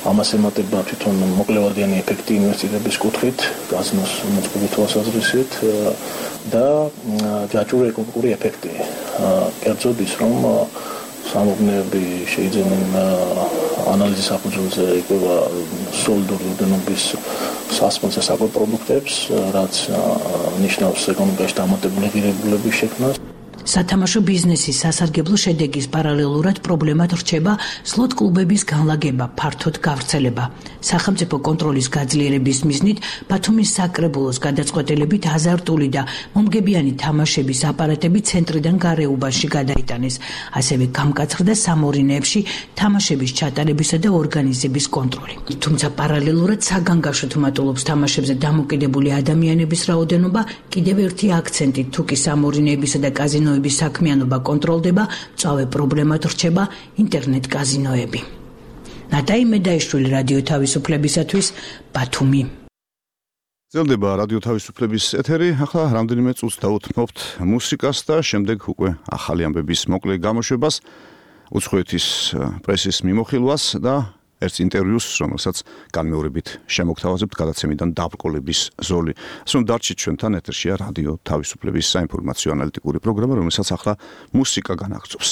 ამას ემატება თვითონ მოკლევადიანი ეფექტი ინვესტირების კუთხით, კაზინოს მოწყობის თვალსაზრისით და ჯაჭვური ეკონომიკური ეფექტი. კერძოდ ის, რომ სამოგნეები შეიძენენ ანალიზის საფუძველზე იგება სოლიდური ოდენობის სასმელს და საკვებ პროდუქტებს, რაც ნიშნავს ეკონომიკაში დამატებული ღირებულების შექმნას. სათამაშო ბიზნესის სასარგებლო შედეგის პარალელურად პრობლემად რჩება სლოტ კლუბების განლაგება, ფართოდ გავრცელება. სახელმწიფო კონტროლის გაძლიერების მიზნით ბათუმის საკრებულოს გადაწყვეტილებით აზარტული და მომგებიანი თამაშების აპარატები ცენტრიდან გარეუბანში გადაიტანეს. ასევე გამკაცრდა სამორინეებში თამაშების ჩატარებისა და ორგანიზების კონტროლი. თუმცა პარალელურად საგანგაშოდ მატულობს თამაშებზე დამოკიდებული ადამიანების რაოდენობა, კიდევ ერთი აქცენტი თუ კი სამორინეებისა და კაზინოების საქმიანობა კონტროლდება, მწვავე პრობლემად რჩება ინტერნეტ კაზინოები. ნატაი მედაიშვილი რადიო თავისუფლებისათვის ბათუმი. ძლდება რადიო თავისუფლების ეთერი, ახლა რამდენიმე წუთს დაუთმობთ მუსიკას და შემდეგ უკვე ახალი ამბების მოკლე გამოშვებას, უცხოეთის პრესის მიმოხილვას და ერთ ინტერვიუს, რომელსაც განმეორებით შემოგთავაზებთ გადაცემიდან დაბრკოლების ზოლი. ასე რომ დარჩით ჩვენთან, ეთერშია რადიო თავისუფლების საინფორმაციო ანალიტიკური პროგრამა, რომელსაც ახლა მუსიკა განაგრძობს.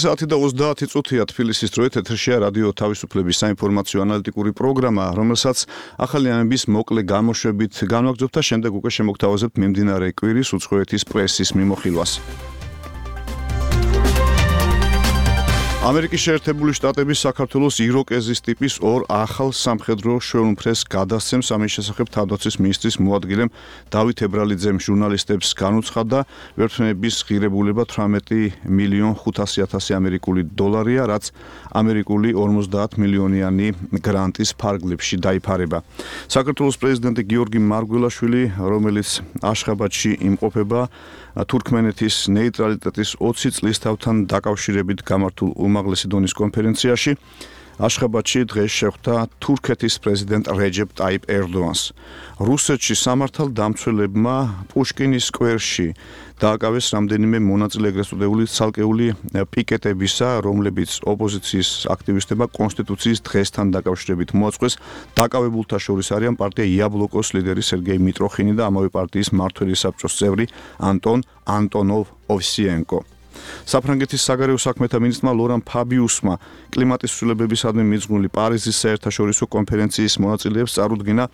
საათი და 30 წუთია თბილისის დროით ეთერშია რადიო თავისუფლების საინფორმაციო ანალიტიკური პროგრამა, რომელსაც ახალი ამბების მოკლე გამოშვებით განვაგრძობთ და შემდეგ უკვე შემოგთავაზებთ მიმდინარე კვირის უცხოეთის პრესის მიმოხილვას. ამერიკის შეერთებული შტატების საქართველოს იროკეზის ტიპის ორ ახალ სამხედრო შვეულმფრენს გადასცემს. ამის შესახებ თავდაცვის მინისტრის მოადგილემ დავით ებრალიძემ ჟურნალისტებს განუცხადა, ვერტმფრენების ღირებულება 18,500,000 ამერიკული დოლარია, რაც ამერიკული 50 მილიონიანი გრანტის ფარგლებში დაიფარება. საქართველოს პრეზიდენტი გიორგი მარგველაშვილი, რომელიც აშხაბადში იმყოფება, თურქმენეთის ნეიტრალიტეტის 20 წლისთავთან დაკავშირებით გამართულ უმაღლესი დონის კონფერენციაში აშხაბადში დღეს შეხვდა თურქეთის პრეზიდენტ რეჯეპ ტაიპ ერდოანს. რუსეთში სამართალ დამცველებმა პუშკინის სკვერში დააკავეს რამდენიმე მონაწილე ეგრეთ წოდებული ცალკეული პიკეტებისა, რომლებიც ოპოზიციის აქტივისტებმა კონსტიტუციის დღესთან დაკავშირებით მოაწყვეს. დაკავებულთა შორის არიან პარტია იაბლოკოს ლიდერი სერგეი მიტროხინი და ამავე პარტიის მმართველი საბჭოს წევრი ანტონ ანტონოვ ოვსიენკო. საფრანგეთის საგარეო საქმეთა მინისტრმა ლორან ფაბიუსმა კლიმატის ცვლილებებისადმი მიძღვნილი პარიზის საერთაშორისო კონფერენციის მონაწილეებს წარუდგინა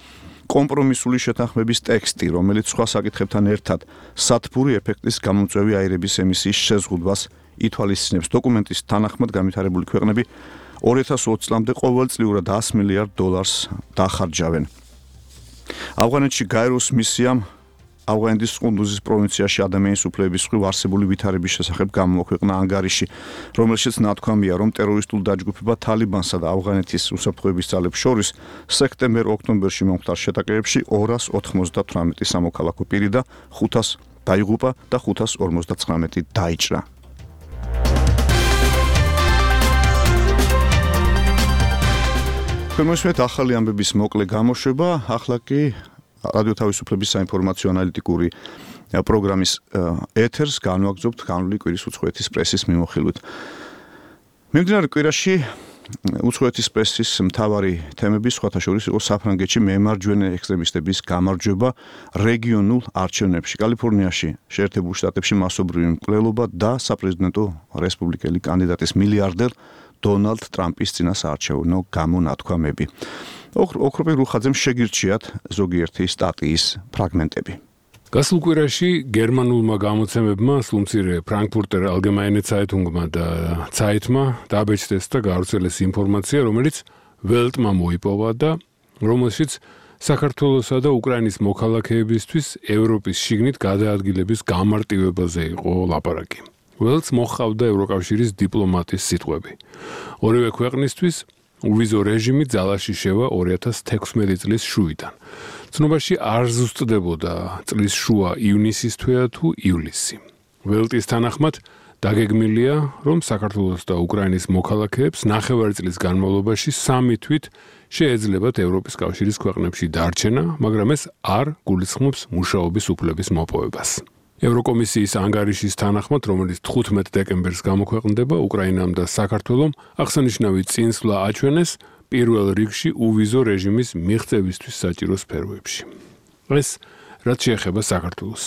კომპრომისული შეთანხმების ტექსტი, რომელიც სხვა საკითხებთან ერთად სათბური ეფექტის გამომწვევი აირების ემისიის შეზღუდვას ითვალისწინებს. დოკუმენტის თანახმად განვითარებული ქვეყნები 2020 წლამდე ყოველწლიურად $100 მილიარდ დახარჯავენ. ავღანეთში გაეროს მისიამ ავღანეთის ყუნდუზის პროვინციაში ადამიანის უფლებების მხრივ არსებული ვითარების შესახებ გამოქვეყნა ანგარიში, რომელშიც ნათქვამია, რომ ტერორისტულ დაჯგუფება თალიბანსა და ავღანეთის უსაფრთხოების ძალებს შორის სექტემბერ-ოქტომბერში მომხდარ შეტაკებებში 298 სამოქალაქო პირი და 500 დაიღუპა და 559 დაიჭრა. შემოსვეთ ახალი ამბების მოკლე გამოშვება, ახლა კი რადიო თავისუფლების საინფორმაციო ანალიტიკური პროგრამის ეთერს განვაგრძობთ განვლილი კვირის უცხოეთის პრესის მიმოხილვით. მიმდინარე კვირაში უცხოეთის პრესის მთავარი თემები სხვათა შორის იყო საფრანგეთში მემარჯვენე ექსტრემისტების გამარჯვება რეგიონულ არჩევნებში. კალიფორნიაში, შეერთებულ შტატებში მასობრივი მკვლელობა და საპრეზიდენტო რესპუბლიკელი კანდიდატის მილიარდერ დონალდ ტრამპის წინასაარჩევნო გამონათქვამები. ოქროპირ რუხაძემ შეგირჩიათ ზოგიერთი სტატიის ფრაგმენტები. გასულ კვირაში გერმანულმა გამოცემებმა სულმცირე ფრანკფურტერ ალგემაინე ცაიტუნგმა და ცაიტმა დაბეჭდეს და გავრცელეს ინფორმაცია, რომელიც ველტმა მოიპოვა და რომელშიც საქართველოსა და უკრაინის მოქალაქეებისთვის ევროპის შიგნით გადაადგილების გამარტივებაზე იყო ლაპარაკი. ველტს მოჰყავდა ევროკავშირის დიპლომატის სიტყვები. ორივე ქვეყნისთვის uvizო რეჟიმი ძალაში შევა 2016 წლის შუიდან. ცნობაში არ ზუსტდებოდა წლის შუა ივნისის თვეა თუ ივლისი. ველტის თანახმად დაგეგმილია, რომ საქართველოს და უკრაინის მოქალაქეებს ნახევარი წლის განმავლობაში 3 თვით შეეძლებათ ევროპის კავშირის ქვეყნებში დარჩენა, მაგრამ ეს არ გულისხმობს მუშაობის უფლების მოპოვებას. ევროკომისიის ანგარიშის თანახმად, რომელიც 15 დეკემბერს გამოქვეყნდება, უკრაინამ და საქართველომ აღსანიშნავი წინსვლა აჩვენეს პირველ რიგში uvizო რეჟიმის მიღწევისთვის საჭირო სფეროებში. ეს რაც შეეხება საქართველოს.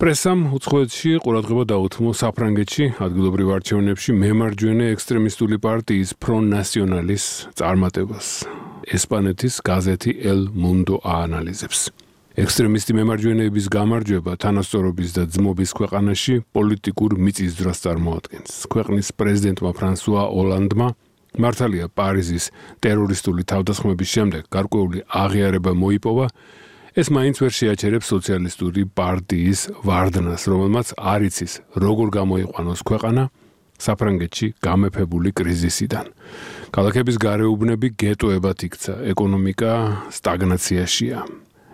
პრესამ უცხოეთში ყურადღება დაუთმო საფრანგეთში ადგილობრივ არჩევნებში მემარჯვენე ექსტრემისტული პარტიის ფრონ ნასიონალის წარმატებას. ესპანეთის გაზეთი El Mundo აანალიზებს. ექსტრემისტი მემარჯვენეების გამარჯვება თანასწორობის და ძმობის ქვეყანაში პოლიტიკურ მიწისძვრას წარმოადგენს. ქვეყნის პრეზიდენტმა ფრანსუა ოლანდმა მართალია პარიზის ტერორისტული თავდასხმების შემდეგ გარკვეული აღიარება მოიპოვა, ეს მაინც ვერ შეაჩერებს სოციალისტური პარტიის ვარდნას, რომელმაც არ იცის როგორ გამოიყვანოს ქვეყანა საფრანგეთში გამეფებული კრიზისიდან. ქალაქების გარეუბნები გეტოებად იქცა, ეკონომიკა სტაგნაციაშია.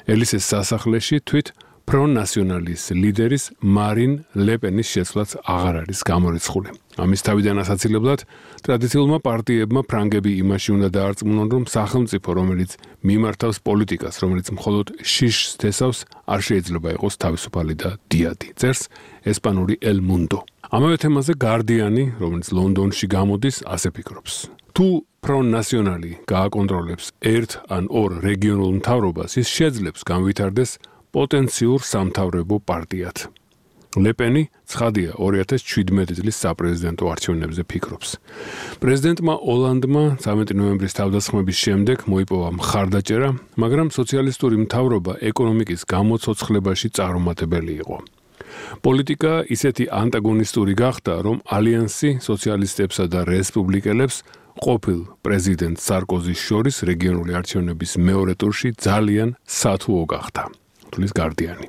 ელისეს სასახლეში თვით ფრონ ნასიონალის ლიდერის მარინ ლეპენის შეცვლაც აღარ არის გამორიცხული. ამის თავიდან ასაცილებლად ტრადიციულმა პარტიებმა ფრანგები იმაში უნდა დაარწმუნონ, რომ სახელმწიფო, რომელიც მიმართავს პოლიტიკას, რომელიც მხოლოდ შიშს თესავს, არ შეიძლება იყოს თავისუფალი და დიადი. წერს ესპანური El Mundo. ამავე თემაზე გარდიანი, რომელიც ლონდონში გამოდის, ასე ფიქრობს. თუ ფრონ ნასიონალი გააკონტროლებს ერთ ან ორ რეგიონულ მთავრობას, ის შეძლებს განვითარდეს პოტენციურ სამთავრებო პარტიად. ლეპენი ცხადია 2017 წლის საპრეზიდენტო არჩევნებზე ფიქრობს. პრეზიდენტმა ოლანდმა 13 ნოემბრის თავდასხმების შემდეგ მოიპოვა მხარდაჭერა, მაგრამ სოციალისტური მთავრობა ეკონომიკის გამოცოცხლებაში წარუმატებელი იყო. პოლიტიკა ისეთი ანტაგონისტური გახდა, რომ ალიანსი სოციალისტებსა და რესპუბლიკელებს ყოფილ პრეზიდენტ სარკოზის შორის რეგიონული არჩევნების მეორე ტურში ძალიან სათუო გახდა. თulis გარდიანი.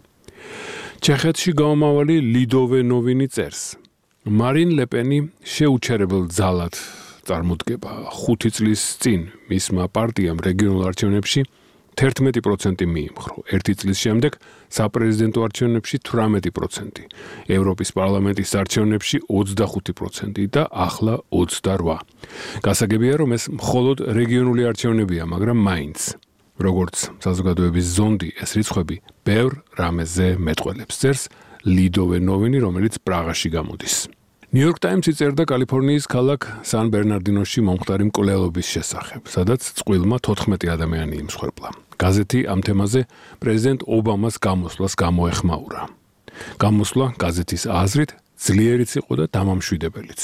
ჩეხეთში გამომავალი ლიდოვე ნოვინი წერს. მარინ ლეპენი შეუჩერებელ ძალად წარმოდგება 5 წლის წინ მისმა პარტიამ რეგიონულ არჩევნებში 11% მიიმხრო. 1 წლის შემდეგ საპრეზიდენტო არჩევნებში 18%, ევროპის პარლამენტის არჩევნებში 25% და ახლა 28. გასაგებია, რომ ეს მხოლოდ რეგიონული არჩევნებია, მაგრამ მაინც. როგორც საზოგადოების ზონდი, ეს რიცხვები ბევრ რამეზე მეტყველებს. წერს ლიდოვე ნოვინი, რომელიც პრაღაში გამოდის. New York Times-ი წერდა კალიფორნიის ქალაქ სან-ბერნარდინოში მომხდარი მკვლელობის შესახებ, სადაც წყვილმა 14 ადამიანი იმსხვერპლა. გაზეთი ამ თემაზე პრეზიდენტ ობამას გამოსვლას გამოეხმაურა. გამოსვლა გაზეთის აზრით ძლიერიც იყო და დამამშვიდებელიც.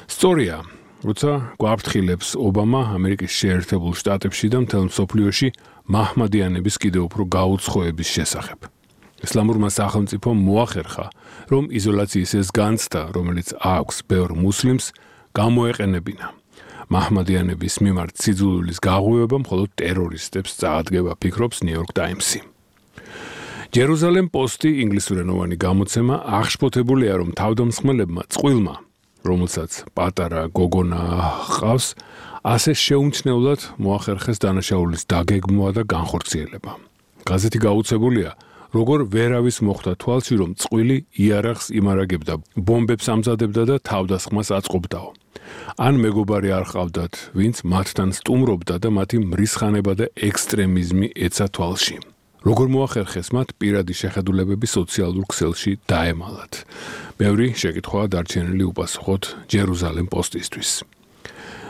სწორია, როცა გვაფრთხილებს ობამა ამერიკის შეერთებულ შტატებში და მთელ მსოფლიოში მაჰმადიანების კიდევ უფრო გაუცხოების შესახებ. ისლამურმა სახელმწიფომ მოახერხა, რომ იზოლაციის ეს განცდა, რომელიც აქვს ბევრ მუსლიმს, გამოეყენებინა. მაჰმადიანების მიმართ სიძულვილის გაღვივება მხოლოდ ტერორისტებს წაადგება, ფიქრობს New York Times-ი. Jerusalem Post-ი ინგლისურენოვანი გამოცემა აღშფოთებულია, რომ თავდამსხმელებმა წყვილმა, რომელსაც პატარა გოგონა ჰყავს, ასე შეუმჩნევლად მოახერხეს დანაშაულის დაგეგმვა და განხორციელება. გაზეთი გაუცებულია, როგორ ვერავის მოხვდა თვალში, რომ წყვილი იარაღს იმარაგებდა, ბომბებს ამზადებდა და თავდასხმას აწყობდაო. ან მეგობარი არ ყავდათ, ვინც მათთან სტუმრობდა და მათი მრისხანება და ექსტრემიზმი ეცა თვალში. როგორ მოახერხეს მათ პირადი შეხედულებები სოციალურ ქსელში დაემალათ. ბევრი შეკითხვაა დარჩენილი უპასუხოთ Jerusalem Post-ისთვის.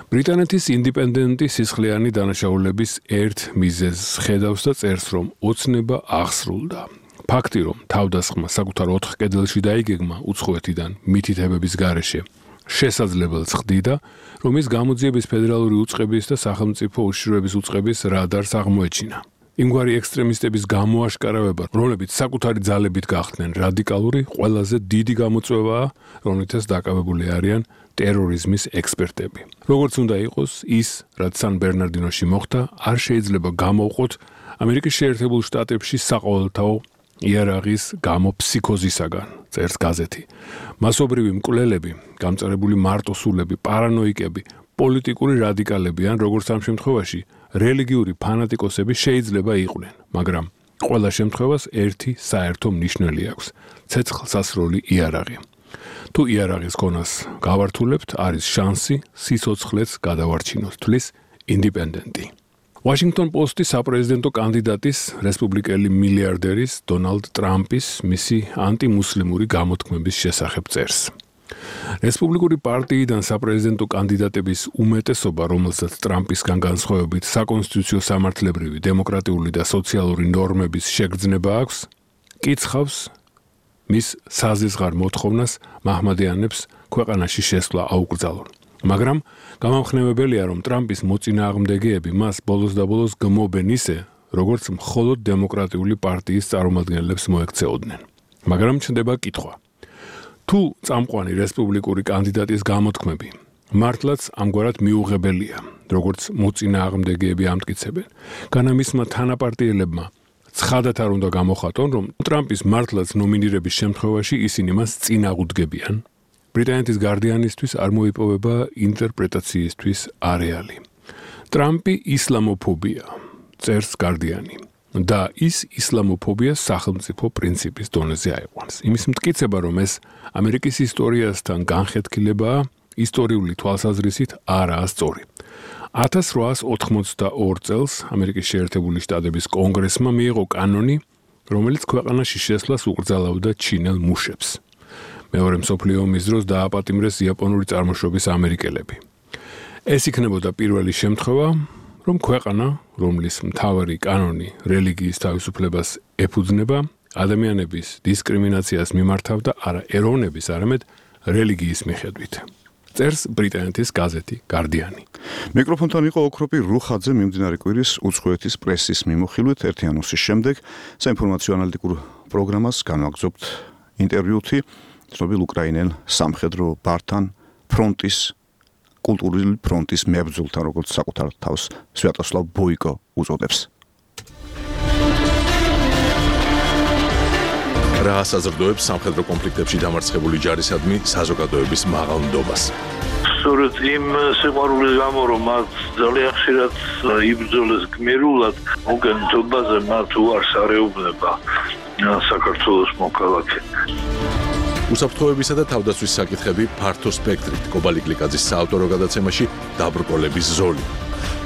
ბრიტანეთის ინდიპენდენტი სისხლიანი დანაშაულების ერთ მიზეზს ხედავს და წერს, რომ ოცნება აღსრულდა. ფაქტი, რომ თავდასხმა საკუთარ 4 კედელში დაიგეგმა უცხოეთიდან მითითებების გარეშე, შესაძლებელს ხდიდა, რომ ის გამოძიების ფედერალური უწყების და სახელმწიფო უშიშროების უწყების რადარს აღმოეჩინა. იმგვარი ექსტრემისტების გამოაშკარავება, რომლებიც საკუთარი ძალებით გახდნენ რადიკალური, ყველაზე დიდი გამოწვევაა, რომლითაც დაკავებული არიან ტერორიზმის ექსპერტები. როგორც უნდა იყოს, ის, რაც სან-ბერნარდინოში მოხდა, არ შეიძლება გამოვყოთ ამერიკის შეერთებულ შტატებში საყოველთაო იარაღის გამო ფსიქოზისაგან, წერს გაზეთი. მასობრივი მკვლელები, გამწარებული მარტოსულები, პარანოიკები, პოლიტიკური რადიკალები ან როგორც ამ შემთხვევაში რელიგიური ფანატიკოსები შეიძლება იყვნენ, მაგრამ ყველა შემთხვევას ერთი საერთო მნიშვნელი აქვს: ცეცხლსასროლი იარაღი. თუ იარაღის ქონას გავართულებთ, არის შანსი სიცოცხლეც გადავარჩინოთ, თვლის ინდიპენდენტი. Washington Post-ი საპრეზიდენტო კანდიდატის, რესპუბლიკელი მილიარდერის დონალდ ტრამპის მისი ანტიმუსლიმური გამოთქმების შესახებ წერს. რესპუბლიკური პარტიიდან საპრეზიდენტო კანდიდატების უმეტესობა, რომელსაც ტრამპისგან განსხვავებით საკონსტიტუციო სამართლებრივი, დემოკრატიული და სოციალური ნორმების შეგრძნება აქვს, კიცხავს მის საზისხარ მოთხოვნას მაჰმადიანებს ქვეყანაში შესვლა აუკრძალონ. მაგრამ გამამხნევებელია, რომ ტრამპის მოწინააღმდეგეები მას ბოლოს და ბოლოს გმობენ ისე, როგორც მხოლოდ დემოკრატიული პარტიის წარმომადგენლებს მოექცეოდნენ. მაგრამ ჩნდება კითხვა. თუ წამყვანი რესპუბლიკური კანდიდატის გამოთქმები მართლაც ამგვარად მიუღებელია, როგორც მოწინააღმდეგეები ამტკიცებენ, განა მისმა თანაპარტიელებმა ცხადად არ უნდა გამოხატონ, რომ ტრამპის მართლაც ნომინირების შემთხვევაში ისინი მას წინ აღუდგებიან. ბრიტანეთის გარდიანისთვის არ მოიპოვება ინტერპრეტაციისთვის არეალი. ტრამპი ისლამოფობია, წერს გარდიანი. და ის ისლამოფობია სახელმწიფო პრინციპის დონეზე აიყვანს. იმის მტკიცება, რომ ეს ამერიკის ისტორიასთან განხეთქილებაა, ისტორიული თვალსაზრისით არაა სწორი. 1882 წელს ამერიკის შეერთებული შტატების კონგრესმა მიიღო კანონი, რომელიც ქვეყანაში შესვლას უკრძალავდა ჩინელ მუშებს. მეორე მსოფლიო ომის დროს დააპატიმრეს იაპონური წარმოშობის ამერიკელები. ეს იქნებოდა პირველი შემთხვევა, რომ ქვეყანა, რომლის მთავარი კანონი რელიგიის თავისუფლებას ეფუძნება, ადამიანების დისკრიმინაციას მიმართავდა არა ეროვნების, არამედ რელიგიის მიხედვით. წერს ბრიტანეთის გაზეთი გარდიანი. მიკროფონთან იყო ოქროპი რუხაძე მიმდინარე კვირის უცხოეთის პრესის მიმოხილვით. ერთი ანონსის შემდეგ საინფორმაციო ანალიტიკურ პროგრამას განვაგრძობთ ინტერვიუთი ცნობილ უკრაინელ სამხედრო ბართან ფრონტის კულტურული ფრონტის მებრძოლთან, როგორც საკუთარ თავს სვიატოსლავ ბოიკო უწოდებს. რა საზრდოებს სამხედრო კონფლიქტებში დამარცხებული ჯარისადმი საზოგადოების მაღალ ნდობას. სწორედ იმ სიყვარულის გამო, რომ მათ ძალიან ხშირად იბრძოლეს გმირულად, მოგენთობაზე მათ უარს არეუბნება საქართველოს მოქალაქე. უსაფრთხოებისა და თავდაცვის საკითხები ფართო სპექტრით კობალი გლიკაძის საავტორო გადაცემაში დაბრკოლების ზოლი.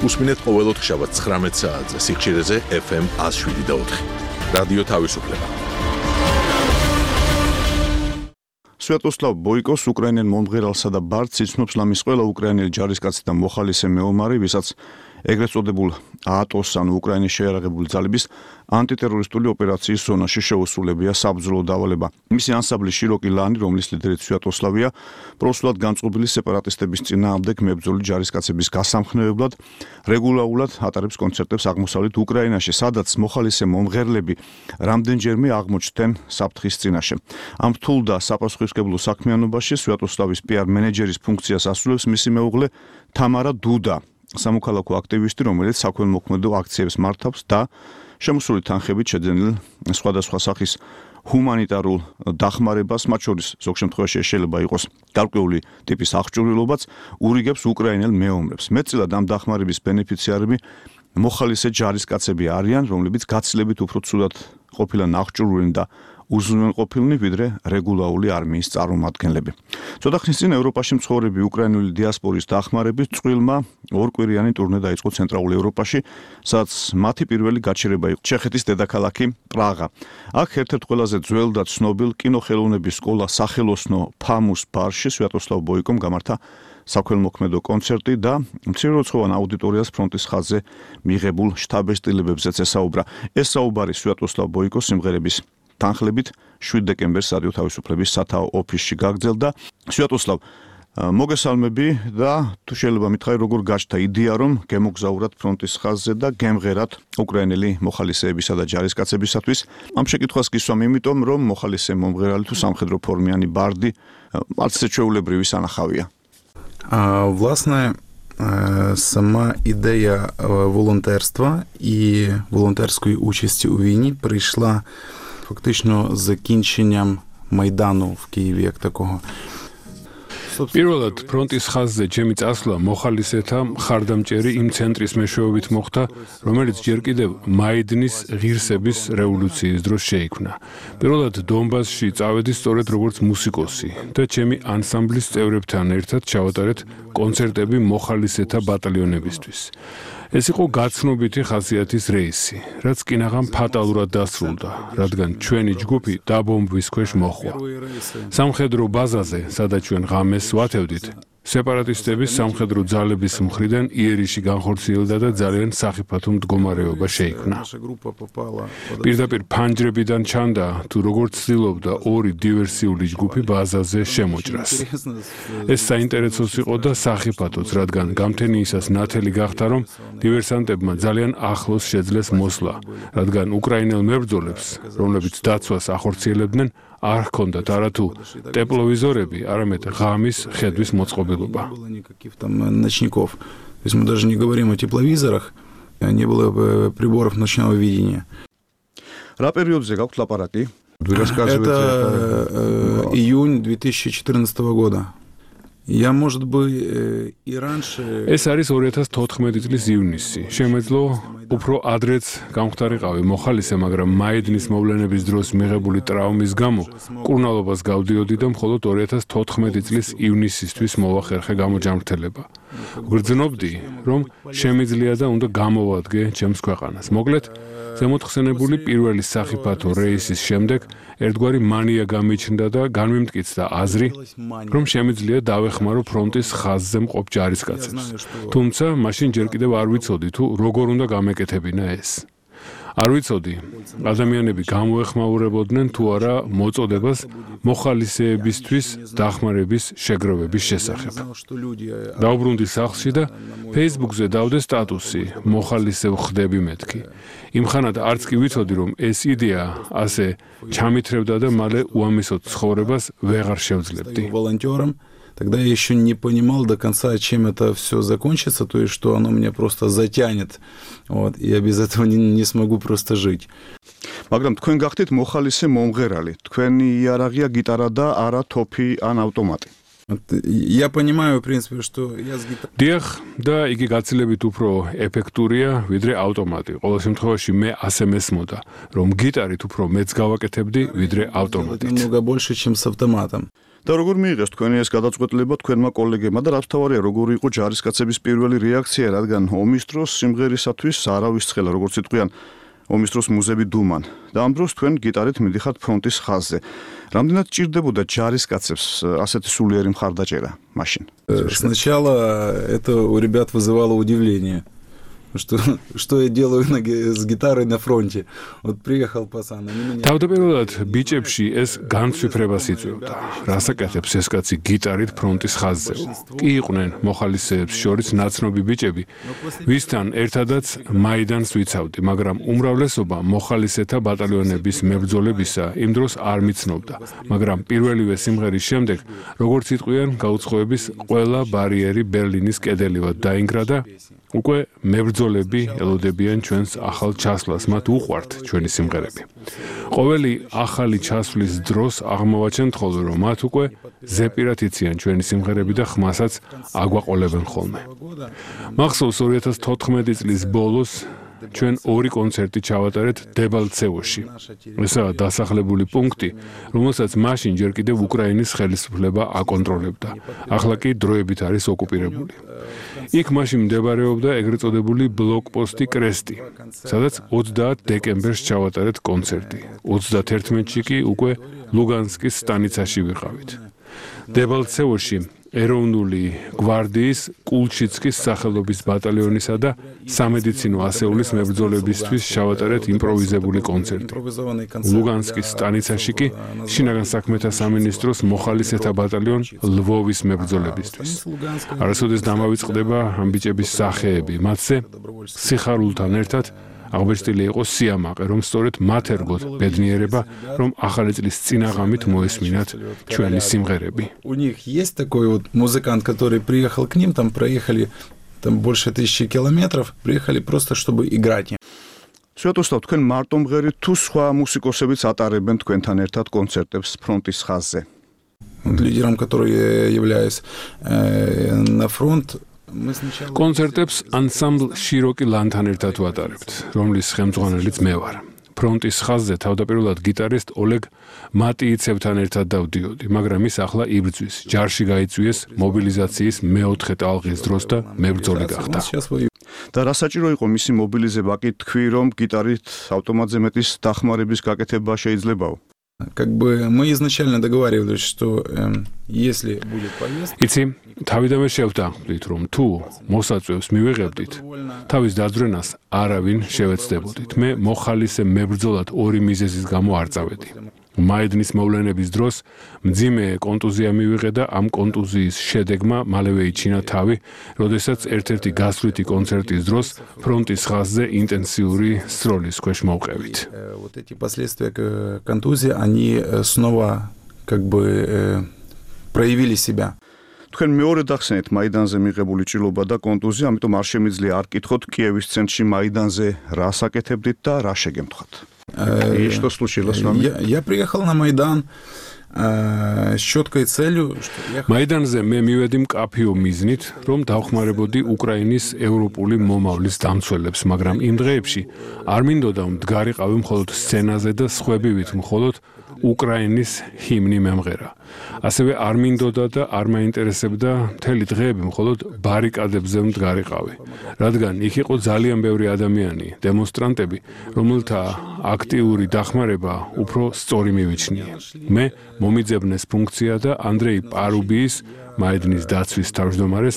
უსმინეთ ყოველ ოთხშაბათს 19 საათზე სიხშირეზე FM 107.4. რადიო თავისუფლება. სვიატოსლავ ბოიკოს უკრაინელ მომღერალსა და ბარდს იცნობს ლამის ყველა უკრაინელი ჯარისკაცი და მოხალისე მეომარი, ვისაც ეგრეთ წოდებულ ატოს ანუ უკრაინის შეიარაღებული ძალების ანტიტერორისტული ოპერაციის ზონაში შეუსრულებია საბრძოლო დავალება. მისი ანსამბლი შიროკი ლანი, რომლის ლიდერიც სვიატოსლავია, პროსულად განწყობილი სეპარატისტების წინააღმდეგ მებრძოლი ჯარისკაცების გასამხნევებლად რეგულარულად ატარებს კონცერტებს აღმოსავლეთ უკრაინაში, სადაც მოხალისე მომღერლები რამდენჯერმე აღმოჩნდნენ საფრთხის წინაშე. ამ რთულ და საპასუხისმგებლო საქმიანობაში სვიატოსლავის PR მენეჯერის ფუნქციას ასრულებს მისი მეუღლე თამარა დუდა, სამოქალაქო აქტივისტი, რომელიც საქველმოქმედო აქციებს მართავს და შემოსული თანხებით შეძენილ სხვადასხვა სახის ჰუმანიტარულ დახმარებას, მათ შორის ზოგ შემთხვევაში შეიძლება იყოს გარკვეული ტიპის აღჭურვილობაც, ურიგებს უკრაინელ მეომრებს. მეტწილად ამ დახმარების ბენეფიციარები მოხალისე ჯარისკაცები არიან, რომლებიც გაცილებით უფრო ცუდად ყოფილან აღჭურვილნი და უზრუნველყოფილნი ვიდრე რეგულარული არმიის წარმომადგენლები. ცოტა ხნის წინ ევროპაში მცხოვრები უკრაინული დიასპორის დახმარებით წვრილმა ორკვირიანი ტურნე დაიწყო ცენტრალურ ევროპაში, სადაც მათი პირველი გაჩერება იყო ჩეხეთის დედაქალაქი პრაღა. აქ ერთ-ერთ ყველაზე ძველ და ცნობილ კინოხელოვნების სკოლა სახელოსნო ფამუს ბარში სვიატოსლავ ბოიკომ გამართა საქველმოქმედო კონცერტი და მცირერიცხოვან აუდიტორიას ფრონტის ხაზზე მიღებულ შთაბეჭდილებებზეც ესაუბრა. ეს საუბარი სვიატოსლავ ბოიკოს სიმღერების თანხლებით 7 დეკემბერს რადიო თავისუფლების სათაო ოფისში გაგრძელდა. სვიატოსლავ, მოგესალმები და თუ შეიძლება მითხარი, როგორ გაჩნდა იდეა, რომ გემოგზაურათ ფრონტის ხაზზე და გემღერათ უკრაინელი მოხალისეებისა და ჯარისკაცებისათვის? ამ შეკითხვას გისვამ იმიტომ, რომ მოხალისე მომღერალი თუ სამხედრო ფორმიანი ბარდი არც ჩვეულებრივი სანახავია. Власне, сама ідея волонтерства і волонтерської участі у війні прийшла фактично з закінченням Майдану в Києві як такого. პირველად ფრონტის ხაზზე ჩემი წასვლა მოხალისეთა მხარდამჭერი იმ ცენტრის მეშვეობით მოხდა, რომელიც ჯერ კიდევ მაიდნის ღირსების რევოლუციის დროს შეიქმნა. პირველად დონბასში წავედი სწორედ როგორც მუსიკოსი და ჩემი ანსამბლის წევრებთან ერთად ჩავატარეთ კონცერტები მოხალისეთა ბატალიონებისთვის. ეს იყო გაცნობიტი ხასიათის რეისი, რაც კინაღამ ფატალურად დასრულდა, რადგან ჩვენი ჯგუფი დაბომბვის ქვეშ მოხვდა. სამხედრო ბაზაზე, სადაც ჩვენ ღამეს ვათევდით, სეპარატისტების სამხედრო ძალების მხრიდან იერიში განხორციელდა და ძალიან სახიფათო მდგომარეობა შეიქმნა. პირდაპირ ფანჯრებიდან ჩანდა, თუ როგორც ცდილობდა ორი დივერსიული ჯგუფი ბაზაზე შემოჭრას. ეს საინტერესოც იყო და სახიფათოც, რადგან გამთენიისას ნათელი გახდა, რომ დივერსანტებმა ძალიან ახლოს შეძლეს მოსვლა, რადგან უკრაინელ მებრძოლებს, რომლებიც დაცვას ახორციელებდნენ, არ ჰქონდათ არათუ ტეპლოვიზორები, არამედ ღამის ხედვის მოწყობილობა. Ночников. То есть мы даже не говорим о тепловизорах, не было приборов ночного видения. რა პერიოდზე გაქვთ ლაპარაკი? Это июнь 2014 года. Я, может быть, и раньше... ეს არის 2014 წლის ივნისი. შემეძლო უფრო ადრეც გამختارიყავი მოხალისე, მაგრამ მაიდნის მოვლენების დროს მიღებული ტრაუმის გამო კურნალობას გავდიოდი და მხოლოდ 2014 წლის ივნისისთვის მოვახერხე გამოჯამრთელება. გრძნობდი, რომ შემიძლია და უნდა გამოვადგე ჩემს ქვეყანას. მოკლედ, ზემოთხსენებული პირველი სახიფათო რეისის შემდეგ ერთგვარი მანია გამიჩნდა და განმემტკიცდა აზრი, რომ შემიძლია დავეხმარო ფრონტის ხაზზე მყოფ ჯარისკაცებს. თუმცა, მაშინ ჯერ კიდევ არ ვიცოდი თუ როგორ უნდა გამეკეთებინა ეს. არ ვიცოდი, ადამიანები გამოეხმაურებოდნენ თუ არა მოწოდებას მოხალისეებისთვის დახმარების შეგროვების შესახებ. დაუბრუნდი სახლში და Facebook-ზე დავდე სტატუსი მოხალისევ ხდები მეთქი. იმხანად არც კი ვიცოდი, რომ ეს იდეა ასე ჩამithრევდა და მალე უამისოდ ცხოვრებას ვეღარ შევძლებდი. Тогда я еще не понимал до конца, чем это все закончится, то есть, что оно меня просто затянет, вот, и я без этого не смогу просто жить. მაგრამ თქვენ გახდით მოხალისე მომღერალი. თქვენი იარაღია გიტარა და არა თოფი ან ავტომატი. Я понимаю, в принципе, что я с гитарой... დიახ, და იგი გაცილებით უფრო ეფექტურია, ვიდრე ავტომატი. ყოველ შემთხვევაში მე ასე მესმოდა, რომ გიტარით უფრო მეც გავაკეთებდი, ვიდრე ავტომატით. Намного больше, чем с автоматом. და როგორ მიიღეს თქვენი ეს გადაწყვეტილება თქვენმა კოლეგებმა და რაც თავარია, როგორი იყო ჯარისკაცების პირველი რეაქცია, რადგან ომის დროს სიმღერისათვის არავის ცხელა, როგორც იტყვიან, ომის დროს მუზები დუმან. და ამ დროს თქვენ გიტარით მიდიხართ ფრონტის ხაზზე. რამდენად ჭირდებოდა ჯარისკაცებს ასეთი სულიერი მხარდაჭერა მაშინ? Сначала это у ребят вызывало удивление. Что я делаю с гитарой на фронте? Вот приехал пацан, они меня... თავდაპირველად ბიჭებში ეს განცვიფრებას იწვევდა. რას აკეთებს ეს კაცი გიტარით ფრონტის ხაზზე? კი იყვნენ მოხალისეებს შორის ნაცნობი ბიჭები, ვისთან ერთადაც მაიდანს ვიცავდი, მაგრამ უმრავლესობა მოხალისეთა ბატალიონების მებრძოლებისა იმ დროს არ მიცნობდა, მაგრამ პირველივე სიმღერის შემდეგ, როგორც იტყვიან, გაუცხოების ყველა ბარიერი ბერლინის კედელივად დაინგრა და უკვე მებრძოლები ელოდებიან ჩვენს ახალ ჩასვლას, მათ უყვართ ჩვენი სიმღერები. ყოველი ახალი ჩასვლის დროს აღმოვაჩენთ ხოლმე, რომ მათ უკვე ზეპირად იციან ჩვენი სიმღერები და ხმასაც აგვაყოლებენ ხოლმე. მახსოვს 2014 წლის ბოლოს ჩვენ ორი კონცერტი ჩავატარეთ დებალცევოში. ესაა დასახლებული პუნქტი, რომელსაც მაშინ ჯერ კიდევ უკრაინის ხელისუფლება აკონტროლებდა. ახლა კი დროებით არის ოკუპირებული. იქ მაშინ მდებარეობდა ეგრეთ წოდებული ბლოკპოსტი კრესტი, სადაც 30 დეკემბერს ჩავატარეთ კონცერტი. 31-ში კი უკვე ლუგანსკის სტანიცაში ვიყავით. დებალცევოში ეროვნული გვარდიის კულჩიცკის სახელობის ბატალიონისა და სამედიცინო ასეულის მებრძოლებისთვის ჩავატარეთ იმპროვიზებული კონცერტი. ლუგანსკის სტანიცაში კი შინაგან საქმეთა სამინისტროს მოხალისეთა ბატალიონ ლვოვის მებრძოლებისთვის. არასოდეს დამავიწყდება ამ ბიჭების სახეები, მათზე სიხარულთან ერთად აღბეჭდილი იყო სიამაყე, რომ სწორედ მათ ერგოთ ბედნიერება, რომ ახალი წლის წინაღამით მოესმინათ ჩვენი სიმღერები. У них есть такой вот музыкант, который приехал к ним, там проехали там больше 1000 километров, приехали просто чтобы играть. Святослав, თქვენ მარტო მღერით თუ სხვა მუსიკოსებიც ატარებენ თქვენთან ერთად კონცერტებს ფრონტის ხაზზე? Лидером, который я являюсь на фронт, კონცერტებს ანსამბლ შიროკი ლანთან ერთად ვატარებთ, რომლის ხელმძღვანელიც მე ვარ. ფრონტის ხაზზე თავდაპირველად გიტარისტ ოლეგ მატიიცევთან ერთად დავდიოდი, მაგრამ ის ახლა იბრძვის. ჯარში გაიწვიეს მობილიზაციის მეოთხე ტალღის დროს და მებრძოლი გახდა. და რა საჭირო იყო მისი მობილიზება? კი თქვი, რომ გიტარით ავტომატზე მეტის დახმარების გაკეთება შეიძლებაო? Как бы мы изначально договаривались, что если будет поездка... იცი, თავიდანვე შევთანხმდით, რომ თუ მოსაწვევს მივიღებდით, თავის დაძვრენას არავინ შევეცდებოდით. მე მოხალისე მებრძოლად ორი მიზეზის გამო არ წავედი. მაიდნის მოვლენების დროს მძიმე კონტუზია მივიღე და ამ კონტუზიის შედეგმა მალევე იჩინა თავი, როდესაც ერთ-ერთი გასვლითი კონცერტის დროს ფრონტის ხაზზე ინტენსიური სროლის ქვეშ მოვყევით. Вот эти последствия контузии, они снова как бы проявили себя. თქვენ მეორე დახსენეთ მაიდანზე მიღებული ჭრილობა და კონტუზია, ამიტომ არ შემიძლია არ კითხოთ Კიევის ცენტრში მაიდანზე რას აკეთებდით და რა შეგემთხათ. И что случилось с вами? Я приехал на Майдан с четкой целью, что я... Майданზე მე მივედი მკაფიო მიზნით, რომ დავხმარებოდი უკრაინის ევროპული მომავლის დამცველებს, მაგრამ იმ დღეებში არ მინდოდა მდგარიყავი მხოლოდ სცენაზე და სხვებივით მხოლოდ უკრაინის ჰიმნი მემღერა. ასევე არ მინდოდა და არ მაინტერესებდა მთელი დღეები მხოლოდ ბარიკადებზე მდგარიყავი, რადგან იქ იყო ძალიან ბევრი ადამიანი, დემონსტრანტები, რომელთა აქტიური დახმარება უფრო სწორი მივიჩნია. მე მომიძებნეს ფუნქცია და ანდრეი პარუბიის მაედნის დაცვის თავმჯდომარეს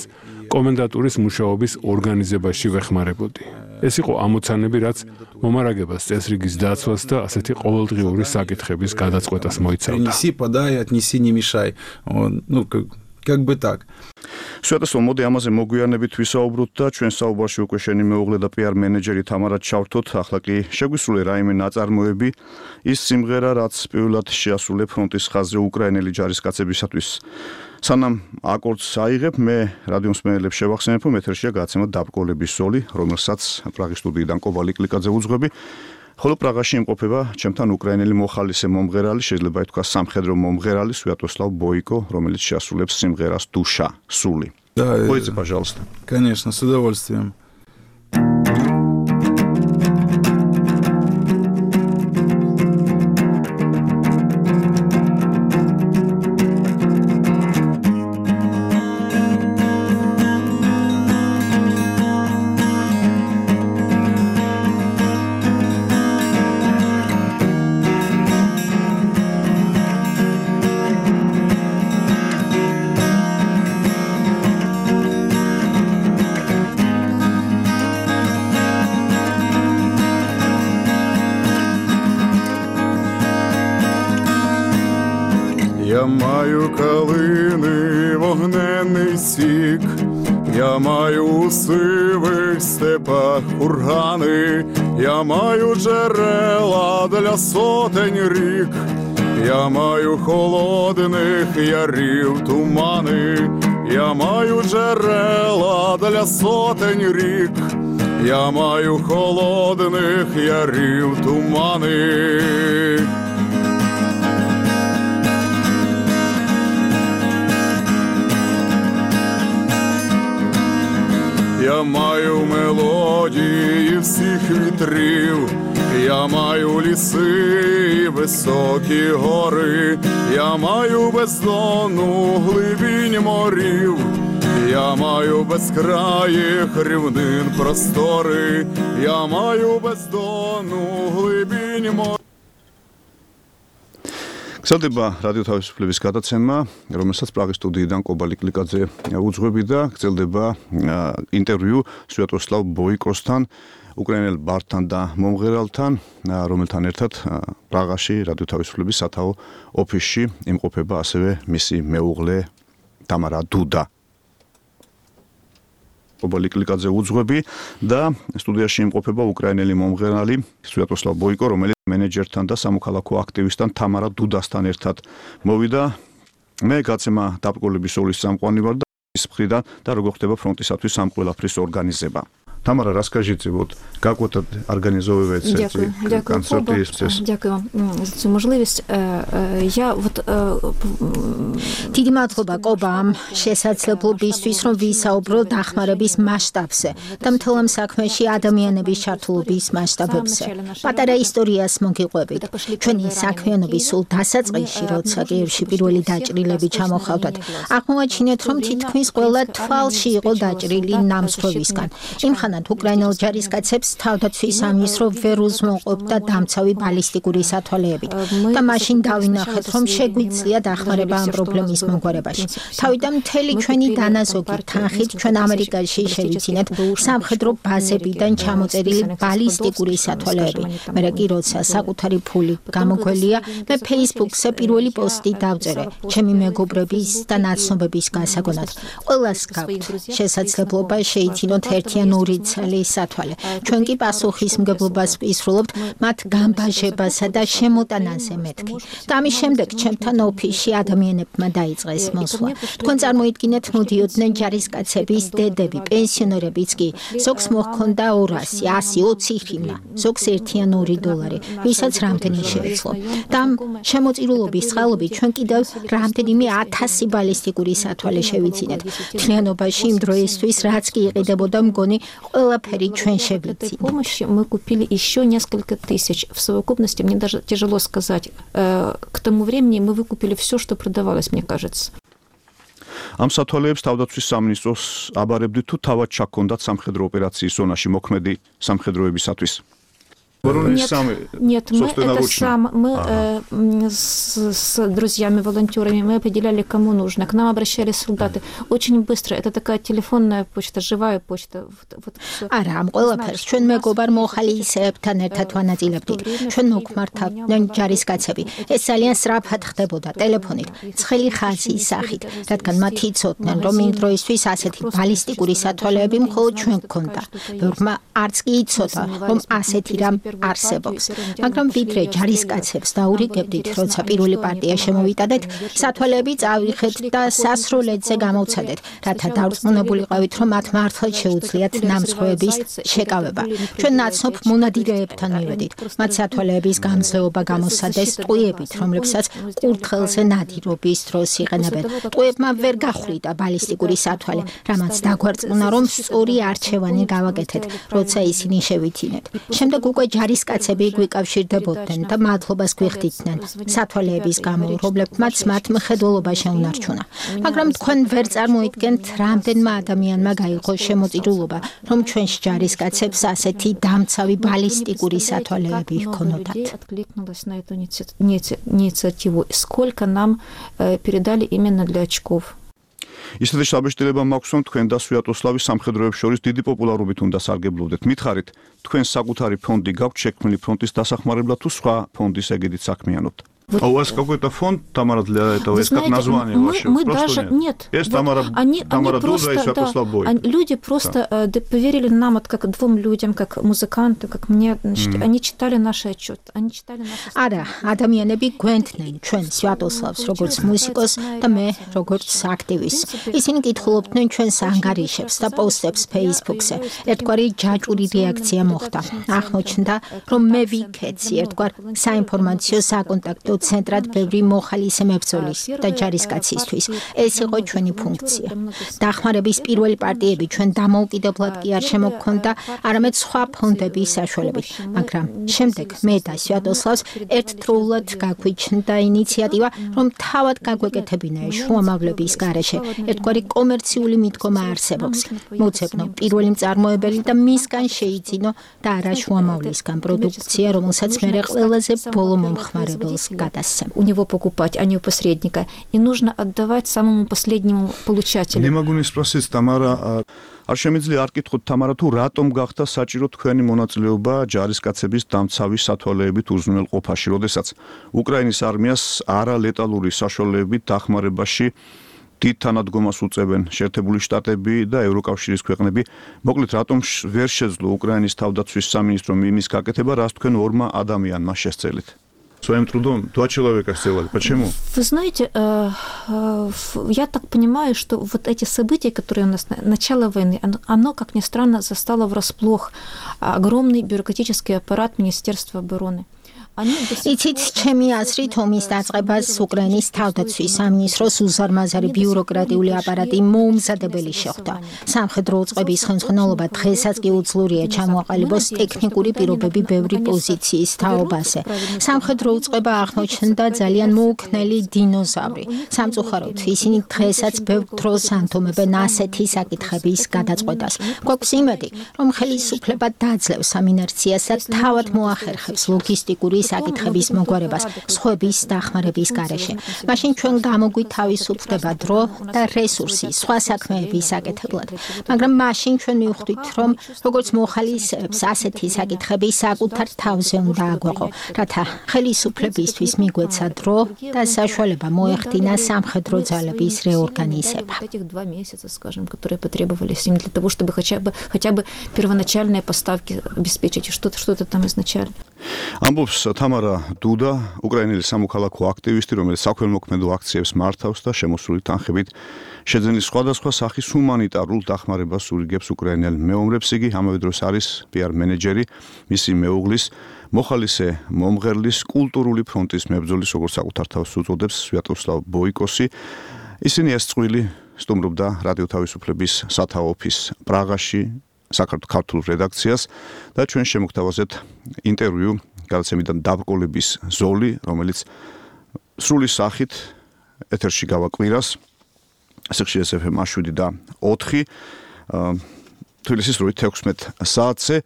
კომენდატურის მუშაობის ორგანიზებაში ვეხმარებოდი. ეს იყო ამოცანები, რაც მომარაგებას, წესრიგის დაცვას და ასეთი ყოველდღიური საკითხების გადაწყვეტას მოიცავდა. Принеси, подай, отнеси, не мешай. Ну, как бы так. სვეტესო, მოდი ამაზე მოგვიანებით ვისაუბროთ და ჩვენ საუბარში უკვე შენი მეუღლე და PR მენეჯერი თამარა ჩავთოთ. ახლა კი შეგვისრულე რაიმე ნაწარმოები, ის სიმღერა, რაც პირველად შეასრულე ფრონტის ხაზზე უკრაინელი ჯარისკაცებისათვის. სანამ აკორდს აიღებ, მე რადიო მსმენელებს შევახსენებ, რომ ეთერშია გადაცემა დაბრკოლების ზოლი, რომელსაც პრაღის სტუდიიდან კობალი კლიკაძე უძღვები. ხოლო პრაღაში იმყოფება ჩემთან უკრაინელი მოხალისე მომღერალი, შეიძლება ითქვას სამხედრო მომღერალი სვიატოსლავ ბოიკო, რომელიც შეასრულებს სიმღერას დუშა, სული. Да, Пойдите, пожалуйста. Конечно, с удовольствием. Я маю калини, вогненний сік, я маю у сивих степах кургани, я маю джерела для сотень рік, я маю холодних ярів тумани, я маю джерела для сотень рік, я маю холодних ярів тумани. Я маю мелодії всіх вітрів, я маю ліси і високі гори, я маю бездонну глибінь морів, я маю безкраїх рівнин простори, я маю бездонну глибінь морів. გრძელდება რადიო თავისუფლების გადაცემა, რომელსაც პრაღის სტუდიიდან კობალი კლიკაძე უძღვები და გრძელდება ინტერვიუ სვიატოსლავ ბოიკოსთან, უკრაინელ ბარდთან და მომღერალთან, რომელთან ერთად პრაღაში რადიო თავისუფლების სათაო ოფისში იმყოფება ასევე მისი მეუღლე თამარა დუდა. კობალი კლიკაძე უძღვები და სტუდიაში იმყოფება უკრაინელი მომღერალი სვიატოსლავ ბოიკო, რომელიც მენეჯერთან და სამოქალაქო აქტივისტთან თამარა დუდასთან ერთად მოვიდა. მე გაცემა დაბრკოლების ზოლის წამყვანი ვარ და ის მხრიდან და როგორ ხდება фронтისათვის ამ ყველაფრის ორგანიზება. Тамара, расскажите, вот как вот организовывается эти концерты? Дякую вам за цю можливість. Я вот დიდი მადლობა კობამ შესაძლებლობისთვის, რომ ვისაუბროთ დახმარების მასშტაბზე და მთელ ამ საქმეში ადამიანების ჩართულობის მასშტაბებზე. პატარა ისტორიას მოგიყვებით. ჩვენი საქმიანობის სულ დასაწყისში, როცა კიევში პირველი დაჭრილები ჩამოხავდათ, აღმოაჩინეთ, რომ თითქმის ყველა თვალში იყო დაჭრილი ნამსხვრევისგან. იმხანად უკრაინელ ჯარისკაცებს თავდაცვის ამის რო ვერ უზრუნველყოფდა დამცავი ბალისტიკური სათვალეებით. და მაშინ დავინახეთ, რომ შეგვიძლია დახმარება ამ პრობლემის მომგვარებაში. თავიდან მთელი ჩვენი დანაზოგი თანხით ჩვენ ამერიკაში შევიცინეთ სამხედრო ბაზებიდან ჩამოწერილი ბალისტიკური სათვალეები. მერე კი როცა საკუთარი ფული გამოგველია, მე Facebook-ზე პირველი პოსტი დავწერე ჩემი მეგობრების და ნაცნობების გასაგონად. ყველას გაქვთ შესაძლებლობა შეიცინოთ ერთიან ორი წელი სათვალე. ჩვენ კი პასუხისმგებლობას ვისრულობთ მათ გამბაჟებასა და შემოტანაზე მეთქი. და ამის შემდეგ ჩემთან ოფისში ადამიანებმა დაიწყეს მოსვლა. თქვენ წარმოიდგინეთ, მოდიოდნენ ჯარისკაცების დედები, პენსიონერებიც კი. ზოგს მოჰქონდა 200, 120 ჰრივნა, ზოგს $1-2, ვისაც რამდენი შეეძლო. და ამ შემოწირულობის წყალობით ჩვენ კიდევ რამდენიმე 1000 ბალისტიკური სათვალე შევიცინეთ. თლიანობაში იმ დროისთვის რაც კი იყიდებოდა მგონი ყველაფერი ჩვენ შევიცინეთ. Помощи мы купили еще несколько тысяч. В совокупности мне даже тяжело сказать. К тому времени мы выкупили все, что продавалось, мне кажется. ამ სათვალეებს თავდაცვის სამინისტროს აბარებდით თუ თავად ჩაქონდათ სამხედრო ოპერაციის ზონაში მოქმედი სამხედროებისათვის. Нет, мы с друзьями-волонтерами мы определяли, кому нужно. К нам обращались солдаты. Очень быстро. Это такая телефонная почта, живая почта. არა, ამ ყველაფერს ჩვენ მეგობარ მოხალისეებთან ერთად ვანაწილებდით. ჩვენ მოგმართავდნენ ჯარისკაცები. ეს ძალიან სწრაფად ხდებოდა ტელეფონით, ცხელი ხაზის სახით, რადგან მათ იცოდნენ, რომ იმ დროისთვის ასეთი ბალისტიკური სათვალეები მხოლოდ ჩვენ გქონდა. ბევრმა არც კი იცოდა, რომ ასეთი რამ არსებობს. მაგრამ ვიდრე ჯარისკაცებს დაურიგებდით, როცა პირველი პარტია შემოვიტანეთ, სათვალეები წავიხეთ და სასროლედზე გამოვცადეთ, რათა დარწმუნებულიყავით, რომ მათ მართლაც შეუძლიათ ნამსხვრევების შეკავება. ჩვენ ნაცნობ მონადირეებთან მივედით. მათ სათვალეების გამძლეობა გამოსცადეს ტყუებით, რომლებსაც კურთხელზე ნადირობის დროს იყენებენ. ტყუებმა ვერ გახვლიდა ბალისტიკური სათვალე, რამაც დაგვარწმუნა, რომ სწორი არჩევანი გავაკეთეთ, როცა ისინი შევითინეთ. შემდეგ უკვე ჯარისკაცები გვიკავშირდებოდნენ და მადლობას გვიხდიდნენ სათვალეების გამო, რომლებმაც მათ მხედველობა შეუნარჩუნა. მაგრამ თქვენ ვერ წარმოიდგენთ, რამდენმა ადამიანმა გაიღო შემოწირულობა, რომ ჩვენს ჯარისკაცებს ასეთი დამცავი ბალისტიკური სათვალეები ჰქონოდათ. Откликнулась на эту инициативу. Сколько нам передали именно для очков. ისეთი შაბეშტილება მაქვს, რომ თქვენ და სვიატოსლავის სამხედროებს შორის დიდი პოპულარობით უნდა სარგებლობდეთ. მითხარით, თქვენ საკუთარი фонდი გაქვთ შექმნილი фронтის დასახმარებლად თუ სხვა фондის ეგიდით საქმიანობთ? А у вас какой-то фонд, Тамара, для этого? Есть как название ваше? Мы даже нет. Есть Тамара Дуда и Святослав Бойко. Люди просто поверили нам, вот как двум людям, как музыканту, как мне. Они читали наш отчет. Они читали наши... არა, ადამიანები გვენთნენ ჩვენ სვიატოსლავს როგორც მუსიკოს და მე როგორც აქტივისტს. ისინი კითხულობდნენ ჩვენს ანგარიშებს და პოსტებს Facebook-ზე. ერთგვარი ჯაჭვური რეაქცია მოხდა. აღმოჩნდა, რომ მე ვიქეცი ერთგვარ საინფორმაციო საკონტაქტო ცენტრად ბევრი მოხალისე მებრძოლის და ჯარისკაცისთვის. ეს იყო ჩვენი ფუნქცია. დახმარების პირველი პარტიები ჩვენ დამოუკიდებლად კი არ შემოგქონდა, არამედ სხვა ფონდების საშუალებით. მაგრამ შემდეგ მე და სვიატოსლავს ერთდროულად გაგვიჩნდა ინიციატივა, რომ თავად გაგვეკეთებინა შუამავლების გარეშე. ერთგვარი კომერციული მიდგომა არსებობს. მოძებნო პირველი მწარმოებელი და მისგან შეიძინო და არა შუამავლისგან პროდუქცია, რომელსაც მე ყველაზე ბოლო მომხმარებელს у него покупать, а не у посредника. И нужно отдавать самому последнему получателю. Не могу не спросить, Тамара, არ შემიძლია არ კითხოთ თამარა თუ რატომ გახდა საჭირო თქვენი მონაწილეობა ჯარისკაცების დამცავი სათვალეებით უზრუნველყოფაში, როდესაც უკრაინის არმიას არალეტალური საშუალებებით დახმარებაში დიდ თანადგომას უწევენ შეერთებული შტატები და ევროკავშირის ქვეყნები. მოკლედ, რატომ ვერ შეძლო უკრაინის თავდაცვის სამინისტრომ იმის გაკეთება, რაც თქვენ ორმა ადამიანმა შესწელით? Своим трудом два человека сделали. Почему? Вы знаете, я так понимаю, что вот эти события, которые у нас, начало войны, оно, как ни странно, застало врасплох огромный бюрократический аппарат Министерства обороны. იცით, ჩემი აზრით, ომის დაწყებას უკრაინის თავდაცვის სამინისტროს უზარმაზარი ბიუროკრატიული აპარატი მოუმზადებელი შეხვდა. სამხედრო უწყების ხელმძღვანელობა დღესაც კი უძლურია ჩამოაყალიბოს ტექნიკური პირობები ბევრი პოზიციის თაობაზე. სამხედრო უწყება აღმოჩნდა ძალიან მოუქნელი დინოზავრი. სამწუხაროდ, ისინი დღესაც ბევრ დროს ანთომებენ ასეთი საკითხების გადაწყვეტას. გვაქვს იმედი, რომ ხელისუფლება დაძლევს ამ ინერციას და თავად მოახერხებს ლოგისტიკური საკითხების მოგვარებას სხვების დახმარების გარეშე. მაშინ ჩვენ გამოგვითავისუფლდება დრო და რესურსი სხვა საქმეების საკეთებლად. მაგრამ მაშინ ჩვენ მივხვდით, რომ როგორც მოხალისეებს ასეთი საკითხები საკუთარ თავზე უნდა აგვეყო, რათა ხელისუფლებისთვის მიგვეცა დრო და საშუალება მოეხდინა სამხედრო ძალების რეორგანიზება. Этих 2 месяца, скажем, которые потребовались им для того, чтобы хотя бы первоначальные поставки обеспечить, что-то там изначально. ამბობს თამარა დუდა, უკრაინელი სამოქალაქო აქტივისტი, რომელიც საქველმოქმედო აქციებს მართავს და შემოსული თანხებით შეძენის სხვადასხვა სახის ჰუმანიტარულ დახმარებას ურიგებს უკრაინელ მეომრებს. იგი ამავე დროს არის PR მენეჯერი მისი მეუღლის მოხალისე მომღერლის კულტურული ფრონტის მებრძოლის, როგორც საკუთარ თავს უწოდებს, სვიატოსლავ ბოიკოსი. ისინი ეს წყვილი სტუმრობდა რადიო თავისუფლების სათაო ოფისს პრაღაში, საქართველოს რედაქციას და ჩვენ შემოგთავაზეთ ინტერვიუ გადაცემიდან დაბრკოლების ზოლი, რომელიც სრული სახით ეთერში გავაკვირას. სიხშირე FM 7 და 4 თბილისის 16 საათზე.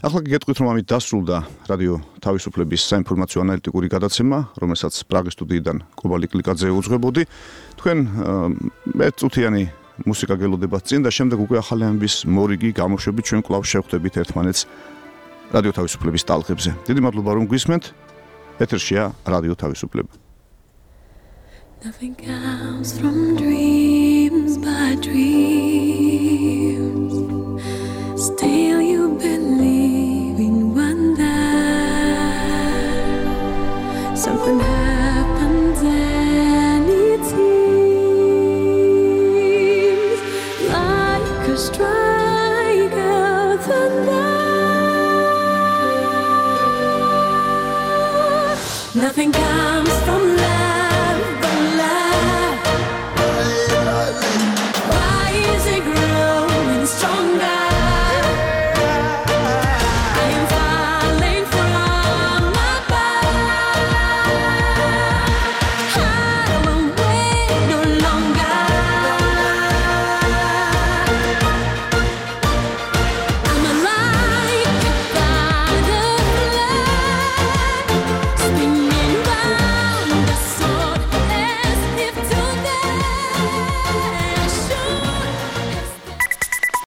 ახლა გეტყვით, რომ ამით დასრულდა რადიო თავისუფლების საინფორმაციო ანალიტიკური გადაცემა, რომელსაც პრაღის სტუდიიდან კობალი კლიკაძე უძღვებოდი. თქვენ მეწუთიანი მუსიკა გელოდებათ წინ და შემდეგ უკვე ახალი ამბის მორიგი გამოშვებით ჩვენ კვლავ შევხვდებით ერთმანეთს რადიო თავისუფლების ტალღებზე. დიდი მადლობა რომ გვისმენთ. ეთერშია რადიო თავისუფლება. Nothing comes from dreams but dreams. Still you believe in wonder. Something happens and it seems like a strike of thunder. Nothing comes from